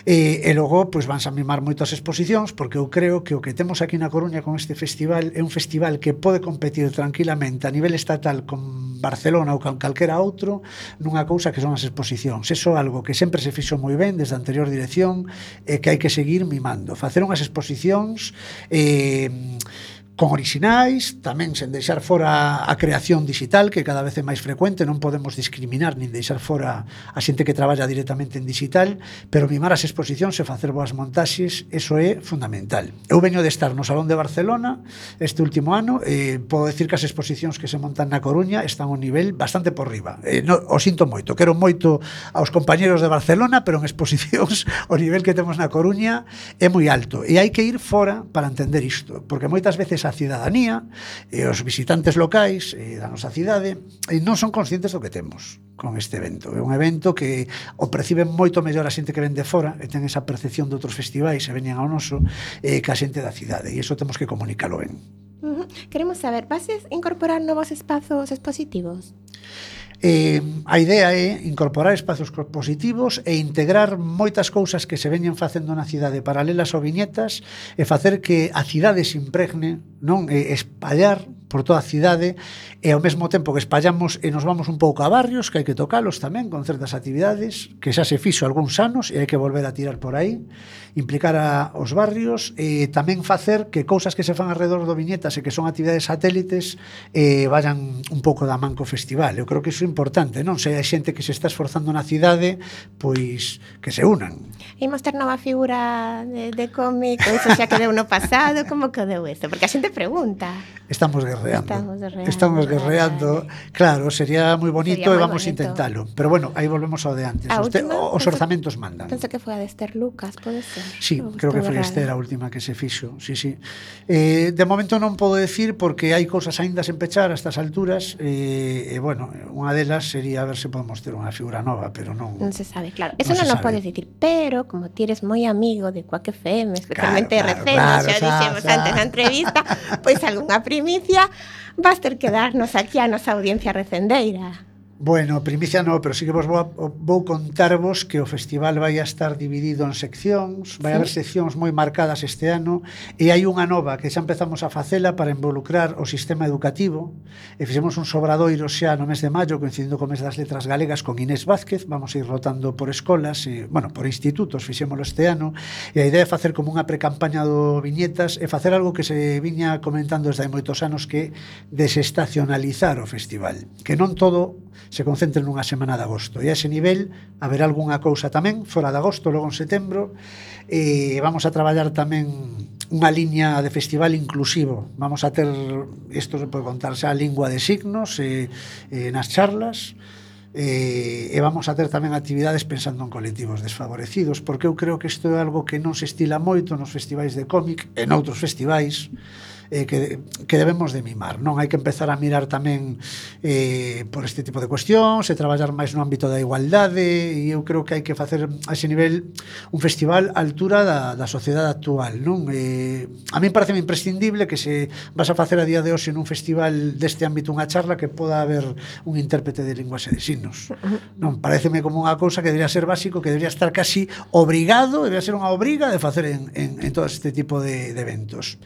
E, e logo, pois, vanse a mimar moito as exposicións, porque eu creo que o que temos aquí na Coruña con este festival é un festival que pode competir tranquilamente a nivel estatal con Barcelona ou con calquera outro nunha cousa que son as exposicións. Eso é algo que sempre se fixo moi ben desde a anterior dirección e que hai que seguir mimando. Facer unhas exposicións eh, con orixinais, tamén sen deixar fora a creación digital, que cada vez é máis frecuente, non podemos discriminar nin deixar fora a xente que traballa directamente en digital, pero mimar as exposicións e facer boas montaxes, eso é fundamental. Eu veño de estar no Salón de Barcelona este último ano, e podo decir que as exposicións que se montan na Coruña están a un nivel bastante por riba. Eh, no, o sinto moito, quero moito aos compañeros de Barcelona, pero en exposicións o nivel que temos na Coruña é moi alto, e hai que ir fora para entender isto, porque moitas veces a cidadanía e os visitantes locais e da nosa cidade e non son conscientes do que temos con este evento. É un evento que o perciben moito mellor a xente que ven de fora e ten esa percepción de outros festivais e veñen ao noso eh, que a xente da cidade, e iso temos que comunicalo ben. Uh-huh. Queremos saber, vas a incorporar novos espazos expositivos? Eh, a idea é incorporar espazos positivos e integrar moitas cousas que se veñen facendo na cidade paralelas ao Viñetas e facer que a cidade se impregne, non, e espallar por toda a cidade, e ao mesmo tempo que espallamos e nos vamos un pouco a barrios que hai que tocalos tamén con certas actividades que xa se fixo algúns anos e hai que volver a tirar por aí, implicar a, os barrios e tamén facer que cousas que se fan alrededor do Viñetas e que son actividades satélites eh, vayan un pouco da man co festival. Eu creo que iso é importante, non? Se hai xente que se está esforzando na cidade, pois que se unan. Imos ter nova figura de, de cómic, ou iso xa quedou no pasado, como quedou isto? Porque a xente pregunta. Estamos guerreando. Estamos guerreando. Estamos guerreando. Claro, sería moi bonito sería e vamos a bonito. intentalo. Pero bueno, aí volvemos ao de antes. A Os, te, última, os penso, orzamentos mandan. Penso que foi a de Esther Lucas, pode ser? Sí, Ou creo que foi errado? Esther a última que se fixo. Sí, sí. Eh, de momento non podo decir porque hai cousas aínda sen pechar a estas alturas e, eh, bueno, unha delas sería a ver se podemos ter unha figura nova, pero non... Non se sabe, claro. Eso non non, se o sabe. podes dicir, pero como ti eres moi amigo de Quack F M, especialmente Claro, R C, claro, xa claro, dixemos xa, xa. antes na entrevista, pois algunha primicia vas ter que darnos aquí a nosa audiencia recendeira. Bueno, primicia non, pero sí que vos vou, vou contarvos que o festival vai a estar dividido en seccións, vai Sí. haber seccións moi marcadas este ano, e hai unha nova que xa empezamos a facela para involucrar o sistema educativo, e fixemos un sobradoiro xa no mes de maio, coincidindo co mes das letras galegas, con Inés Vázquez. Vamos a ir rotando por escolas, e, bueno, por institutos, fixémolo este ano, e a idea é facer como unha precampaña do Viñetas e facer algo que se viña comentando desde hai moitos anos, que é desestacionalizar o festival, que non todo se concentre nunha semana de agosto, e a ese nivel haberá algunha cousa tamén fora de agosto, logo en setembro, e vamos a traballar tamén unha liña de festival inclusivo. Vamos a ter, isto se pode contar xa, a lingua de signos e, e nas charlas, e, e vamos a ter tamén actividades pensando en colectivos desfavorecidos, porque eu creo que isto é algo que non se estila moito nos festivais de cómic e noutros festivais, eh, que, que debemos de mimar, non? Hai que empezar a mirar tamén eh, por este tipo de cuestións e traballar máis no ámbito da igualdade, e eu creo que hai que facer a ese nivel un festival á altura da, da sociedade actual, non? Eh, a mí parece imprescindible que se vas a facer a día de hoxe nun festival deste ámbito unha charla que poda haber un intérprete de linguaxe de signos, non? Pareceme como unha cousa que debería ser básico, que debería estar casi obrigado, debería ser unha obriga de facer en, en, en todo este tipo de, de eventos.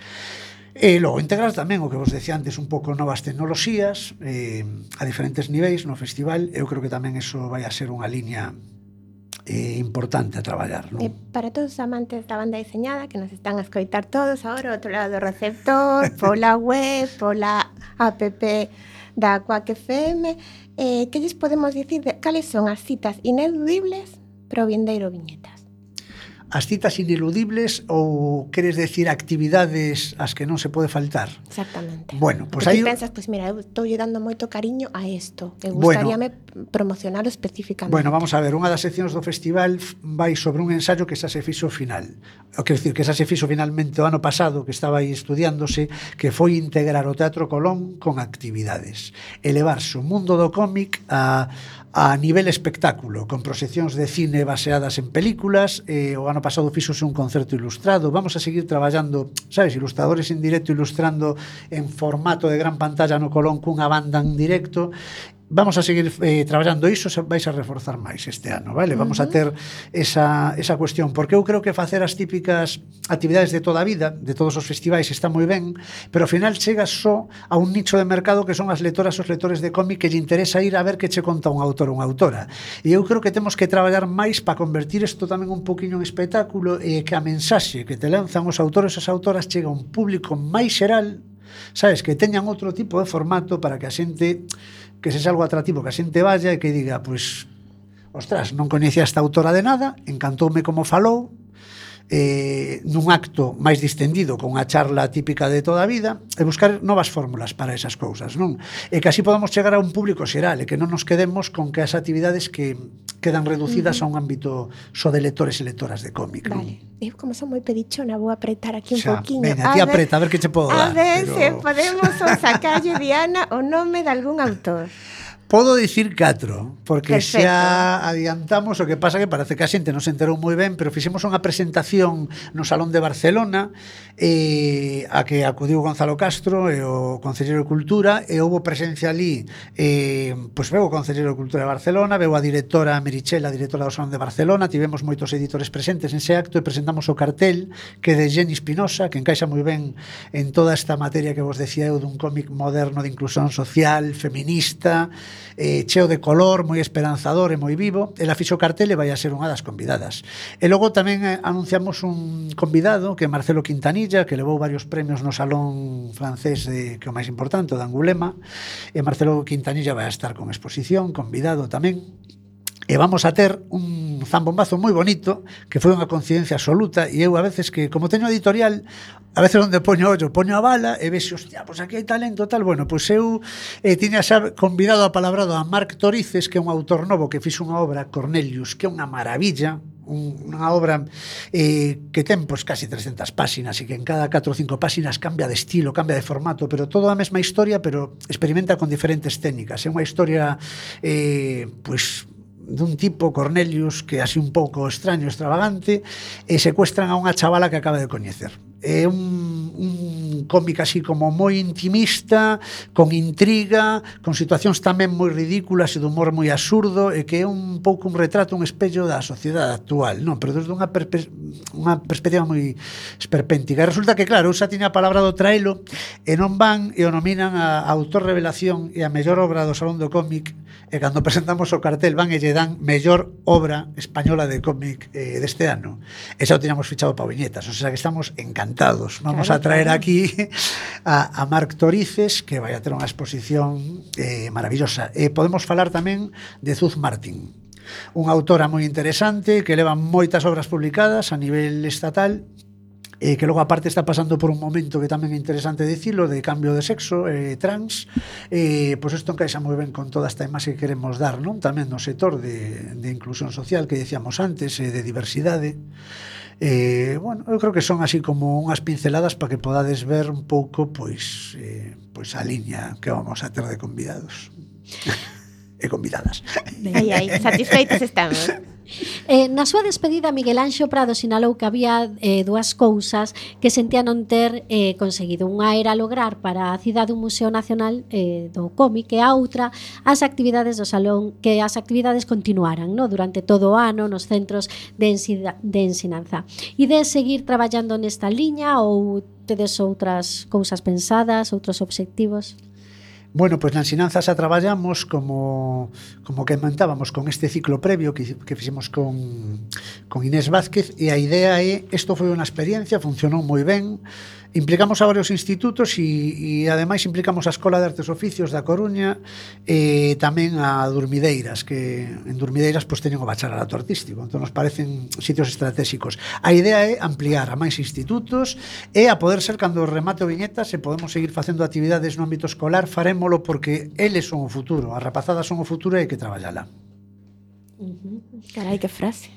E logo integrar tamén o que vos decía antes, un pouco novas tecnoloxías eh, a diferentes niveis no festival. Eu creo que tamén eso vai a ser unha liña eh, importante a traballar, non? E para todos os amantes da banda deseñada que nos están a escoitar todos agora ao outro lado do receptor, pola web, pola app da Quack F M, eh, que lles podemos dicir de cales son as citas ineludibles para o vindeiro Viñetas? as citas ineludibles ou queres decir actividades ás que non se pode faltar? Exactamente. Bueno, pois Porque aí ti pensas, pois mira, eu estou lle dando moito cariño a isto. E Bueno. gustaríame promocionalo especificamente. Bueno, vamos a ver, unha das seccións do festival vai sobre un ensaio que xa se fixo ao final. O quero dicir, que xa se fixo finalmente o ano pasado, que estaba aí estudiándose, que foi integrar o Teatro Colón con actividades. Elevarse o mundo do cómic a a nivel espectáculo, con proxeccións de cine baseadas en películas. Eh, o ano pasado fixose un concerto ilustrado. Vamos a seguir traballando, sabes, ilustradores en directo ilustrando en formato de gran pantalla no Colón cunha banda en directo. Vamos a seguir eh, traballando iso, vais a reforzar máis este ano, vale? Vamos uh-huh. a ter esa, esa cuestión, porque eu creo que facer as típicas actividades de toda a vida, de todos os festivais, está moi ben, pero ao final chegas só a un nicho de mercado que son as lectoras os lectores de cómic que lle interesa ir a ver que che conta un autor ou unha autora. E eu creo que temos que traballar máis para convertir isto tamén un poquinho en espectáculo e que a mensaxe que te lanzan os autores e as autoras chega a un público máis xeral, sabes, que teñan outro tipo de formato para que a xente, que sexa algo atractivo, que a xente vaya e que diga, pois, ostras, non coñecía esta autora de nada, encantoume como falou, eh, nun acto máis distendido con unha charla típica de toda a vida, e buscar novas fórmulas para esas cousas, non? E que así podamos chegar a un público xeral e que non nos quedemos con que as actividades que quedan reducidas uh-huh. a un ámbito só de lectores e lectoras de cómic. Vale. Eu como son moi pedichona, vou apretar aquí un Xa, pouquiño. Veña, ti apreta, a ver que che podo a dar. A ver pero... se podemos sacarlle, Diana, o nome de algún autor. Podo dicir catro, porque Perfecto. xa adiantamos, o que pasa que parece que a xente non se enterou moi ben, pero fixemos unha presentación no Salón de Barcelona, eh, a que acudiu Gonzalo Castro e o Concelleiro de Cultura, e houve presencia ali, eh, pois veu o Concelleiro de Cultura de Barcelona, veu a directora Merichel, a directora do Salón de Barcelona, tivemos moitos editores presentes nese acto e presentamos o cartel que de Jenny Espinosa, que encaixa moi ben en toda esta materia que vos decía eu dun cómic moderno de inclusión social, feminista, eh, cheo de color, moi esperanzador e moi vivo. Ela fixo o cartel e vai a ser unha das convidadas. E logo tamén eh, anunciamos un convidado que é Marcelo Quintanilla, que levou varios premios no Salón francés de, que é o máis importante, o de Angulema, e Marcelo Quintanilla vai a estar con exposición, convidado tamén. E vamos a ter un zambombazo moi bonito, que foi unha coincidencia absoluta, e eu a veces que, como teño editorial, a veces onde poño ollo, poño a bala e vexo, hostia, pois aquí hai talento tal. Bueno, pois eu eh, tiña xa convidado a palabrado a Marc Torices, que é un autor novo que fixo unha obra, Cornelius, que é unha maravilla, un, unha obra eh, que ten pois casi trescentas páxinas e que en cada catro ou cinco páxinas cambia de estilo, cambia de formato, pero todo a mesma historia, pero experimenta con diferentes técnicas. É unha historia eh, pois dun tipo, Cornelius, que así un pouco extraño, extravagante, e secuestran a unha chavala que acaba de coñecer. É un, un cómic así como moi intimista, con intriga, con situacións tamén moi ridículas e de humor moi absurdo, e que é un pouco un retrato, un espello da sociedade actual, non? Pero desde unha, perspe unha perspectiva moi esperpéntica. E resulta que, claro, eu xa tiña a palabra do traelo, e non van e o nominan a autor revelación e a mellor obra do Salón do Cómic, e cando presentamos o cartel van e lle dan mellor obra española de cómic eh, deste ano. E xa o tiñamos fichado para viñetas, o sea que estamos encantados. Vamos claro, a traer claro. aquí a, a Marc Torices, que vai a ter unha exposición eh, maravillosa. E podemos falar tamén de Zuz Martín, unha autora moi interesante que leva moitas obras publicadas a nivel estatal, e que logo aparte está pasando por un momento que tamén é interesante dicilo, de cambio de sexo, eh, trans, eh, pois isto encaixa moi ben con toda esta imaxe que queremos dar, non? Tamén no sector de, de inclusión social que decíamos antes, eh, de diversidade. Eh, bueno, eu creo que son así como unhas pinceladas para que podades ver un pouco pois, eh, pois a liña que vamos a ter de convidados e convidadas. Ai, ai, satisfeitos estamos. Eh, na súa despedida, Miguel Anxo Prado sinalou que había eh, dúas cousas que sentía non ter eh, conseguido. Unha era lograr para a cidade un Museo Nacional eh, do Cómic, e a outra as actividades do Salón, que as actividades continuaran, no? Durante todo o ano nos centros de, ensida, de ensinanza. E de seguir traballando nesta liña, ou tedes outras cousas pensadas, outros obxectivos? Bueno, pois na ensinanza xa traballamos como, como que comentábamos con este ciclo previo que, que fixemos con, con Inés Vázquez, e a idea é, isto foi unha experiencia, funcionou moi ben, Implicamos a varios institutos e, e ademais implicamos a Escola de Artes e Oficios da Coruña e tamén a Durmideiras, que en Durmideiras pois teñen o bacharelato artístico, entón nos parecen sitios estratégicos. A idea é ampliar a máis institutos e a poder ser cando remate o Viñetas se podemos seguir facendo actividades no ámbito escolar, farémolo porque eles son o futuro, as rapazadas son o futuro e hai que traballala. Uh-huh. Carai, que frase.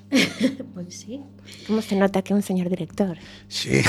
Pois sí. Como se nota que é un señor director. Sí.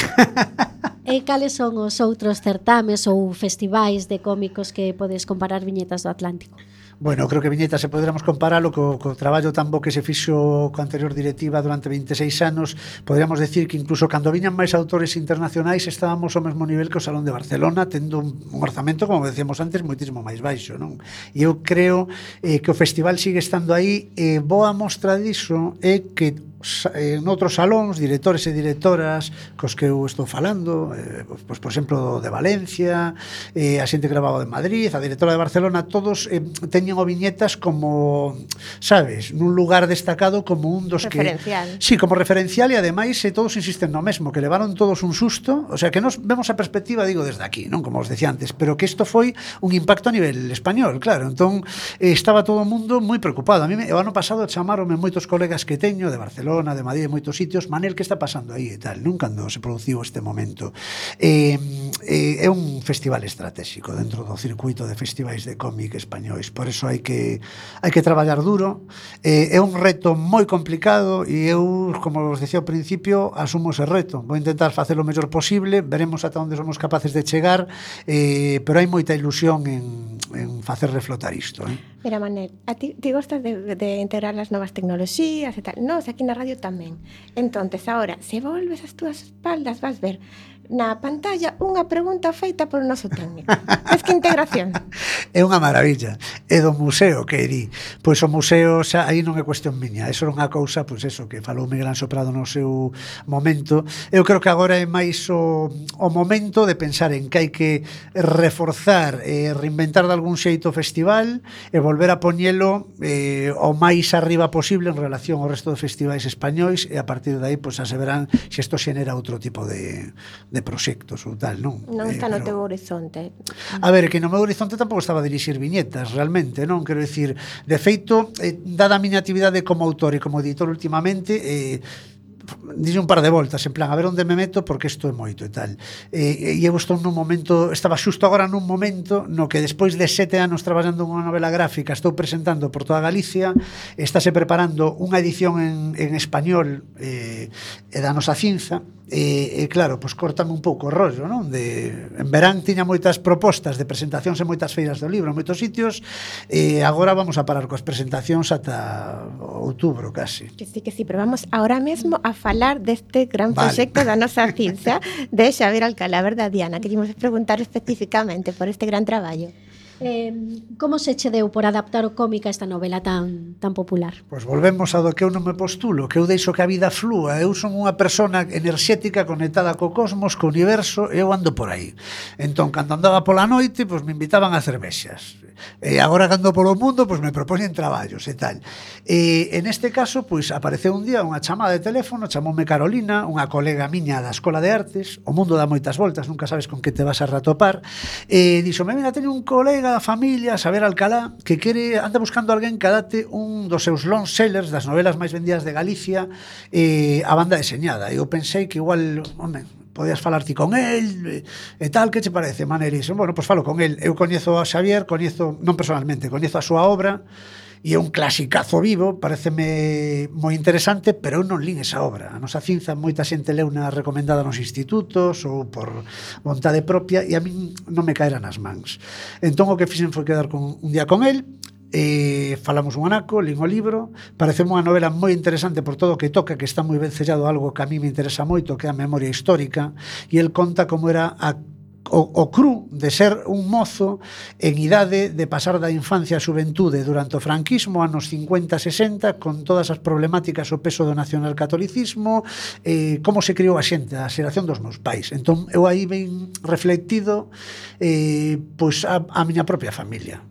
E cales son os outros certames ou festivais de cómicos que podes comparar Viñetas do Atlántico? Bueno, creo que Viñetas se poderamos comparalo co, co traballo tan bo que se fixo co anterior directiva durante veintiséis anos. Poderíamos decir que incluso cando viñan máis autores internacionais estábamos ao mesmo nivel que o Salón de Barcelona, tendo un, un orzamento, como decíamos antes, moitísimo máis baixo, non? E eu creo eh, que o festival sigue estando aí, e boa mostra diso é que en outros salóns, directores e directoras cos que eu estou falando, eh, pois, por exemplo, de Valencia, eh, a xente que grababa de Madrid, a directora de Barcelona, todos eh, teñen o Viñetas como, sabes, nun lugar destacado como un dos referencial. Que... Sí, como referencial, e ademais eh, todos insisten no mesmo, que levaron todos un susto, o sea, que nos vemos a perspectiva, digo, desde aquí, non como os decía antes, pero que isto foi un impacto a nivel español, claro, entón eh, estaba todo o mundo moi preocupado. A mí, o ano pasado, chamaronme moitos colegas que teño de Barcelona, de Madrid, de moitos sitios, Manel, que está pasando aí e tal, non cando se produciu este momento. Eh, eh, é un festival estratégico dentro do circuito de festivais de cómic españois, por eso hai que hai que traballar duro. Eh, é un reto moi complicado e eu, como vos decía ao principio, asumo ese reto. Vou intentar facer o mellor posible, veremos ata onde somos capaces de chegar, eh, pero hai moita ilusión en, en facer reflotar isto, eh? Mira, Manel, a ti te gostas de, de integrar as novas tecnoloxías e tal. Nos, aquí na radio tamén. Entonces, agora, se volves as túas espaldas, vas ver na pantalla unha pregunta feita por o noso técnico. Es que integración. É unha maravilla. É do museo que di. Pois o museo, xa, aí non é cuestión miña. Eso é unha cousa, pois eso, que falou Miguel Anxo Prado no seu momento. Eu creo que agora é máis o, o momento de pensar en que hai que reforzar e reinventar de algún xeito o festival e volver a poñelo eh, o máis arriba posible en relación ao resto de festivais españois, e a partir de aí, pois, xa se verán se isto xenera outro tipo de de proxectos ou tal, non? Non está eh, no teu horizonte. A ver, que no meu horizonte tampouco estaba a dirixir viñetas, realmente, non? Quero dicir, de feito, eh, dada a miña actividade como autor e como editor últimamente, eh, dixe un par de voltas, en plan, a ver onde me meto, porque isto é moito e tal. E, e eu estou nun momento, estaba xusto agora nun momento no que despois de sete anos traballando en unha novela gráfica, estou presentando por toda Galicia, estáse preparando unha edición en, en español eh, e da nosa cinza, e, e claro, pois cortame un pouco o rollo, non? De, en verán tiña moitas propostas de presentacións en moitas feiras do libro, en moitos sitios, e agora vamos a parar coas presentacións ata outubro, casi. Que sí, que sí, pero vamos ahora mesmo a falar deste gran Vale. proxecto da nosa cinza de Xavier Alcalá, verdad, Diana? Queríamos preguntar especificamente por este gran traballo. Eh, como se che deu por adaptar o cómic a esta novela tan tan popular? Pois volvemos ao do que eu non me postulo, que eu deixo que a vida flúa. Eu son unha persona enerxética conectada co cosmos, co universo, e eu ando por aí. Entón, cando andaba pola noite, pois me invitaban a cervexas. E agora cando polo mundo, pois me propoñen traballos e tal. E en este caso, pois apareceu un día unha chamada de teléfono, chamoume Carolina, unha colega miña da Escola de Artes. O mundo dá moitas voltas, nunca sabes con que te vas a ratopar. E dixome, mira, teño un colega da familia, Xavier Alcalá, que quere, anda buscando alguén que adapte un dos seus long sellers, das novelas máis vendidas de Galicia, eh, a banda deseñada. E eu pensei que igual, home, podías falar ti con el e tal, que che parece, Manel? E bueno, pois falo con el. Eu coñezo a Xavier, coñezo, non personalmente, coñezo a súa obra, e é un clasicazo vivo, pareceme moi interesante, pero eu non lín esa obra. A nosa cinza moita xente leu na recomendada nos institutos ou por vontade propia, e a min non me caera nas mans. Entón o que fixen foi quedar con, un día con el, e falamos un anaco, lín o libro, pareceme unha novela moi interesante por todo o que toca, que está moi ben sellado, algo que a mí me interesa moito, que é a memoria histórica, e el conta como era a O, o cru de ser un mozo en idade de pasar da infancia á xuventude durante o franquismo, anos cincuenta sesenta, con todas as problemáticas, o peso do nacionalcatolicismo, eh, como se criou a xente, a xeración dos meus pais. Entón, eu aí ben reflectido eh, pois a, a miña propia familia.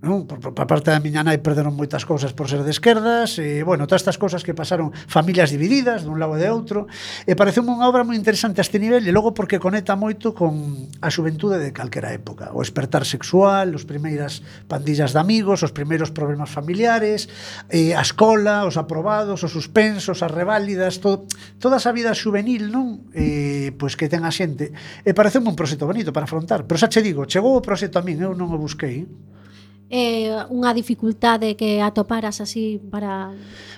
non? Por, por, por parte da miña nai perderon moitas cousas por ser de esquerdas, e, bueno, todas estas cousas que pasaron, familias divididas dun lado e de outro, e pareceu unha obra moi interesante a este nivel, e logo porque conecta moito con a xuventude de calquera época, o espertar sexual, os primeiras pandillas de amigos, os primeiros problemas familiares, eh, a escola, os aprobados, os suspensos, as reválidas, todo, toda esa vida juvenil, non? Eh, pois que ten a xente, e pareceu un proxecto bonito para afrontar, pero xa che digo, chegou o proxecto a min, eu non o busquei. É unha dificultade que atoparas así para...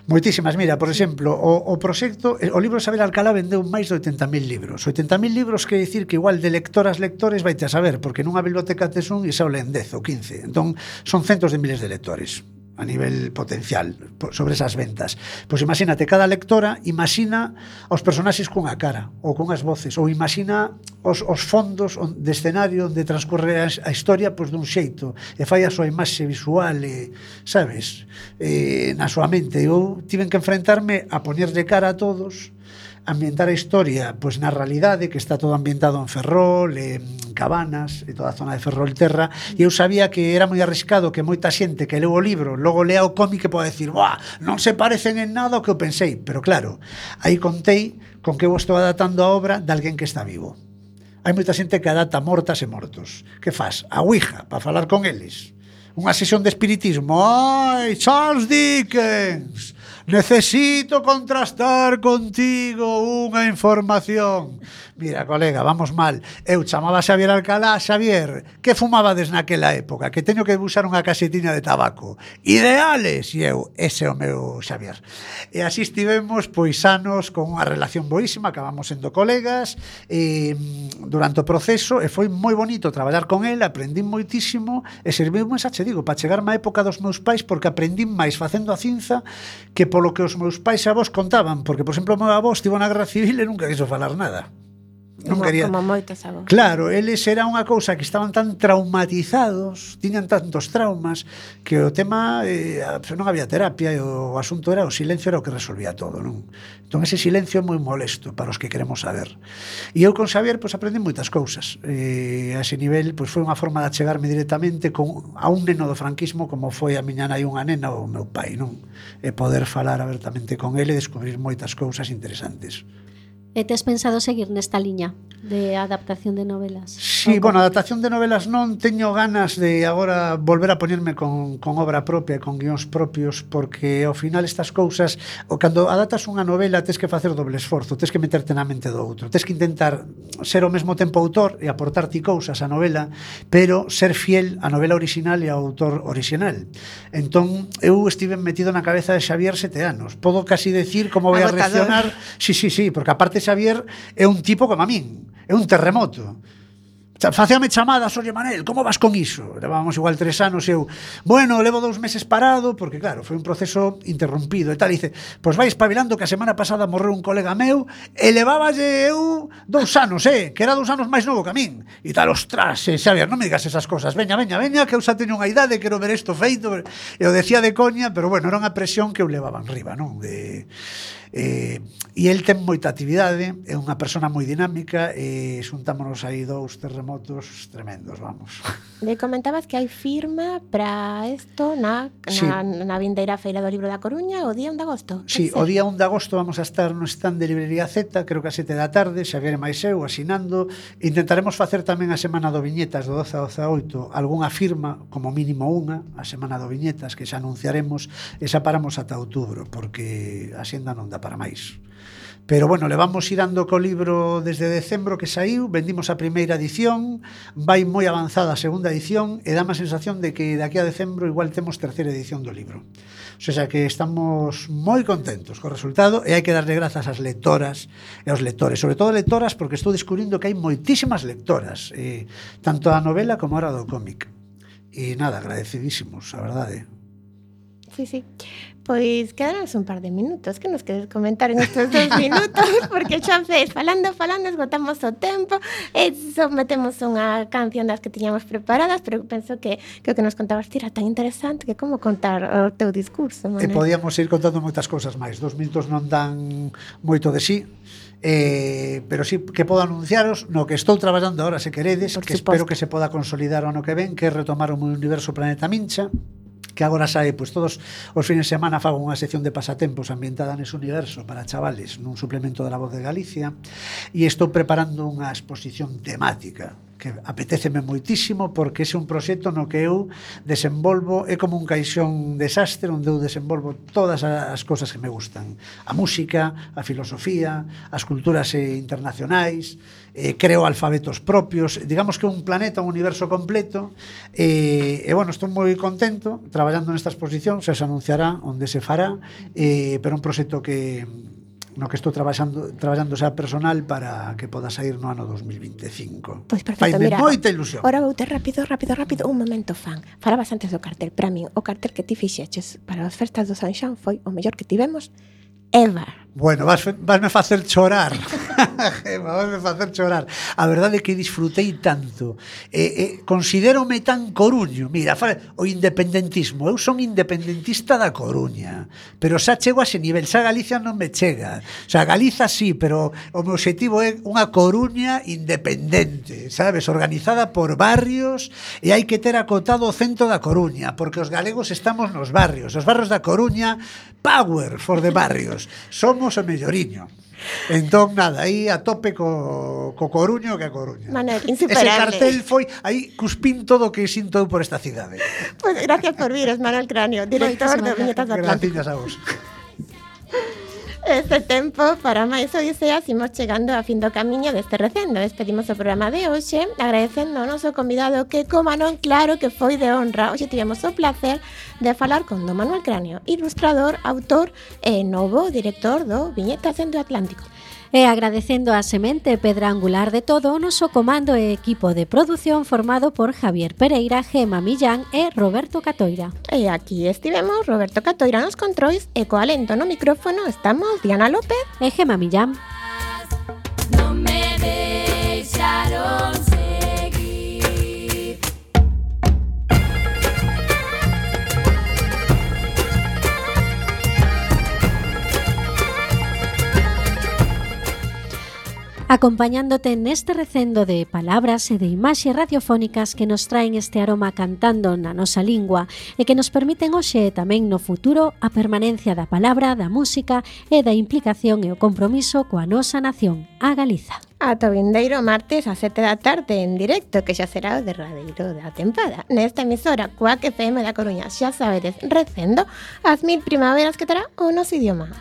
Moitísimas, mira, por exemplo, o, o proxecto, o libro Isabel Alcalá vendeu máis de oitenta mil libros. oitenta mil libros quer dicir que igual de lectoras, lectores vaite a saber, porque nunha biblioteca tes un e xa o leen dez ou quince. Entón, son centos de miles de lectores a nivel potencial sobre esas ventas. Pois imagínate, cada lectora imagina os personaxes cunha cara ou cunhas voces, ou imagina os, os fondos de escenario onde transcorre a, a historia pois dun xeito, e fai a súa imaxe visual e, sabes, e, na súa mente. Eu tiven que enfrentarme a ponerle cara a todos, ambientar a historia pois na realidade, que está todo ambientado en Ferrol, en Cabanas e toda a zona de Ferrolterra, e eu sabía que era moi arriscado que moita xente que leu o libro logo lea o cómic e pode decir, "Buah, non se parecen en nada ao que eu pensei", pero claro, aí contei con que eu estou adaptando a obra de alguén que está vivo. Hai moita xente que adapta mortas e mortos. Que faz? A Ouija, para falar con eles. Unha sesión de espiritismo. Ai, Charles Dickens, necesito contrastar contigo unha información. Mira, colega, vamos mal. Eu chamaba a Xavier Alcalá. Xavier, que fumabades naquela época? Que teño que buscar unha casetiña de tabaco. Ideales! E eu, ese é o meu Xavier. E así estivemos, pois, anos con unha relación boísima, acabamos sendo colegas e, durante o proceso, e foi moi bonito traballar con ele, aprendí moitísimo e serviume, xa che digo, para chegarme á época dos meus pais, porque aprendí máis facendo a cinza que polo que os meus pais e avós contaban, porque, por exemplo, o meu avó estivo na Guerra Civil e nunca quiso falar nada. Non Como, quería... como moitos avós. Claro, eles era unha cousa que estaban tan traumatizados, tiñan tantos traumas, que o tema eh, non había terapia e o asunto era o silencio era o que resolvía todo, non? Entón ese silencio é moi molesto para os que queremos saber. E eu con Xavier pois aprendi moitas cousas. E a ese nivel pois foi unha forma de achegarme directamente con, a un neno do franquismo como foi a miña nai unha nena ou o meu pai, non? E poder falar abertamente con ele e descubrir moitas cousas interesantes. E tes pensado seguir nesta liña de adaptación de novelas? Sí, bueno, adaptación de novelas non teño ganas de agora volver a poñerme con, con obra propia, con guións propios, porque ao final estas cousas, o cando adaptas unha novela tes que facer doble esforzo, tes que meterte na mente do outro, tes que intentar ser ao mesmo tempo autor e aportar ti cousas á novela, pero ser fiel á novela original e ao autor original. Entón, eu estive metido na cabeza de Xavier sete anos. Podo casi decir como vai a reaccionar. Sí, sí, sí, porque aparte Xavier é un tipo como a min, é un terremoto. Facíame chamadas, oye Manel, como vas con iso? Levábamos igual tres anos e eu, bueno, levo dous meses parado, porque claro, foi un proceso interrompido e tal, e dice, pois vai espabilando que a semana pasada morreu un colega meu e leváballe eu dous anos, eh, que era dous anos máis novo que a min, e tal, ostras, eh, Xavier, non me digas esas cosas, veña, veña, veña, que eu xa teño unha idade, quero ver isto feito, e o decía de coña, pero bueno, era unha presión que eu levaba en riba, non? De... Eh, e el ten moita actividade, é unha persona moi dinámica e xuntámonos aí dous terremotos tremendos, vamos. Le comentabas que hai firma para isto na, sí. na, na vindeira Feira do Libro da Coruña o día un de agosto. Sí, o día un de agosto vamos a estar no stand de Librería Z, creo que a sete da tarde, Xavier e máis eu asinando. Intentaremos facer tamén a semana do Viñetas do doce ao dezaoito algunha firma, como mínimo unha, a semana do Viñetas que xa anunciaremos e xa paramos ata outubro porque a xenda non dá para máis. Pero bueno, levamos irando co libro desde decembro que saiu, vendimos a primeira edición, vai moi avanzada a segunda edición e dá má sensación de que daqui a decembro igual temos terceira edición do libro. O sea que estamos moi contentos co resultado e hai que darle grazas ás lectoras e aos lectores, sobre todo lectoras porque estou descubrindo que hai moitísimas lectoras, eh, tanto a novela como ahora do cómic. E nada, agradecidísimos, a verdade. Sí, sí. Pois quedanos un par de minutos. Que nos queres comentar en estes dos minutos? Porque xa fez, falando, falando, esgotamos o tempo e sometemos unha canción das que tiñamos preparadas, pero penso que que o que nos contabas ti era tan interesante que como contar o teu discurso, E Manuel. podíamos ir contando moitas cousas máis. Dos minutos non dan moito de sí, eh, pero sí que podo anunciaros no que estou traballando ahora, se queredes, Por que suposto. espero que se poda consolidar o ano que ven, que é retomar o meu universo Planeta Mincha, que agora sae, pois todos os fines de semana fago unha sección de pasatempos ambientada nese universo para chavales nun suplemento da La Voz de Galicia, e estou preparando unha exposición temática que apetéceme moitísimo porque ese é un proxecto no que eu desenvolvo, é como un caixón desastre onde eu desenvolvo todas as cousas que me gustan, a música, a filosofía, as culturas eh, internacionais, eh, creo alfabetos propios, digamos que un planeta, un universo completo, eh, e bueno, estou moi contento traballando nesta exposición, se se anunciará onde se fará, eh, pero un proxecto que no que estou traballando traballando xa personal para que poda sair no ano dos mil veinticinco. Pois perfecto, Faime mira, moita ilusión. Ora vou ter rápido, rápido, rápido, un momento fan. Falabas antes do cartel, para min, o cartel que ti fixeches para as festas do San Xoán foi o mellor que tivemos ever. Bueno, vas, vasme facer chorar. Vasme facer chorar. A verdade é que disfrutei tanto. Eh, eh, considérome tan coruño. Mira, o independentismo. Eu son independentista da Coruña, pero xa chego a ese nivel. Xa Galicia non me chega. O sea, Galiza sí, pero o meu objetivo é unha Coruña independente, sabes? Organizada por barrios, e hai que ter acotado o centro da Coruña, porque os galegos estamos nos barrios. Os barrios da Coruña, power for the barrios. Somos o melloriño. Entón, nada, aí a tope co, co Coruño que a Coruña. Manuel, Ese insuperable. cartel foi, aí cuspín todo o que sinto eu por esta cidade. Pois pues gracias por vir, Manuel Cráneo, director de Viñetas do Atlántico. Gracias a vos. Este tempo para máis odiseas imos chegando a fin do camiño deste recendo. Despedimos o programa de hoxe agradecendo ao noso convidado que, como non, claro que foi de honra. Hoxe tivemos o placer de falar con do Manuel Cráneo, ilustrador, autor e novo director do Viñetas do Atlántico. E agradecendo a semente pedra angular de todo o noso comando e equipo de produción formado por Javier Pereira, Gema Millán e Roberto Catoira. E aquí estivemos Roberto Catoira nos controis e co alento no micrófono estamos Diana López e Gema Millán. No me deixaron seguir. Acompañándote neste recendo de palabras e de imaxes radiofónicas que nos traen este aroma cantando na nosa lingua e que nos permiten hoxe e tamén no futuro a permanencia da palabra, da música e da implicación e o compromiso coa nosa nación, a Galiza. ata o vindeiro martes a sete da tarde en directo, que xa será o derradeiro da tempada. Nesta emisora, Cuac F M da Coruña, xa sabedes, recendo as mil primaveras que terá o noso idioma.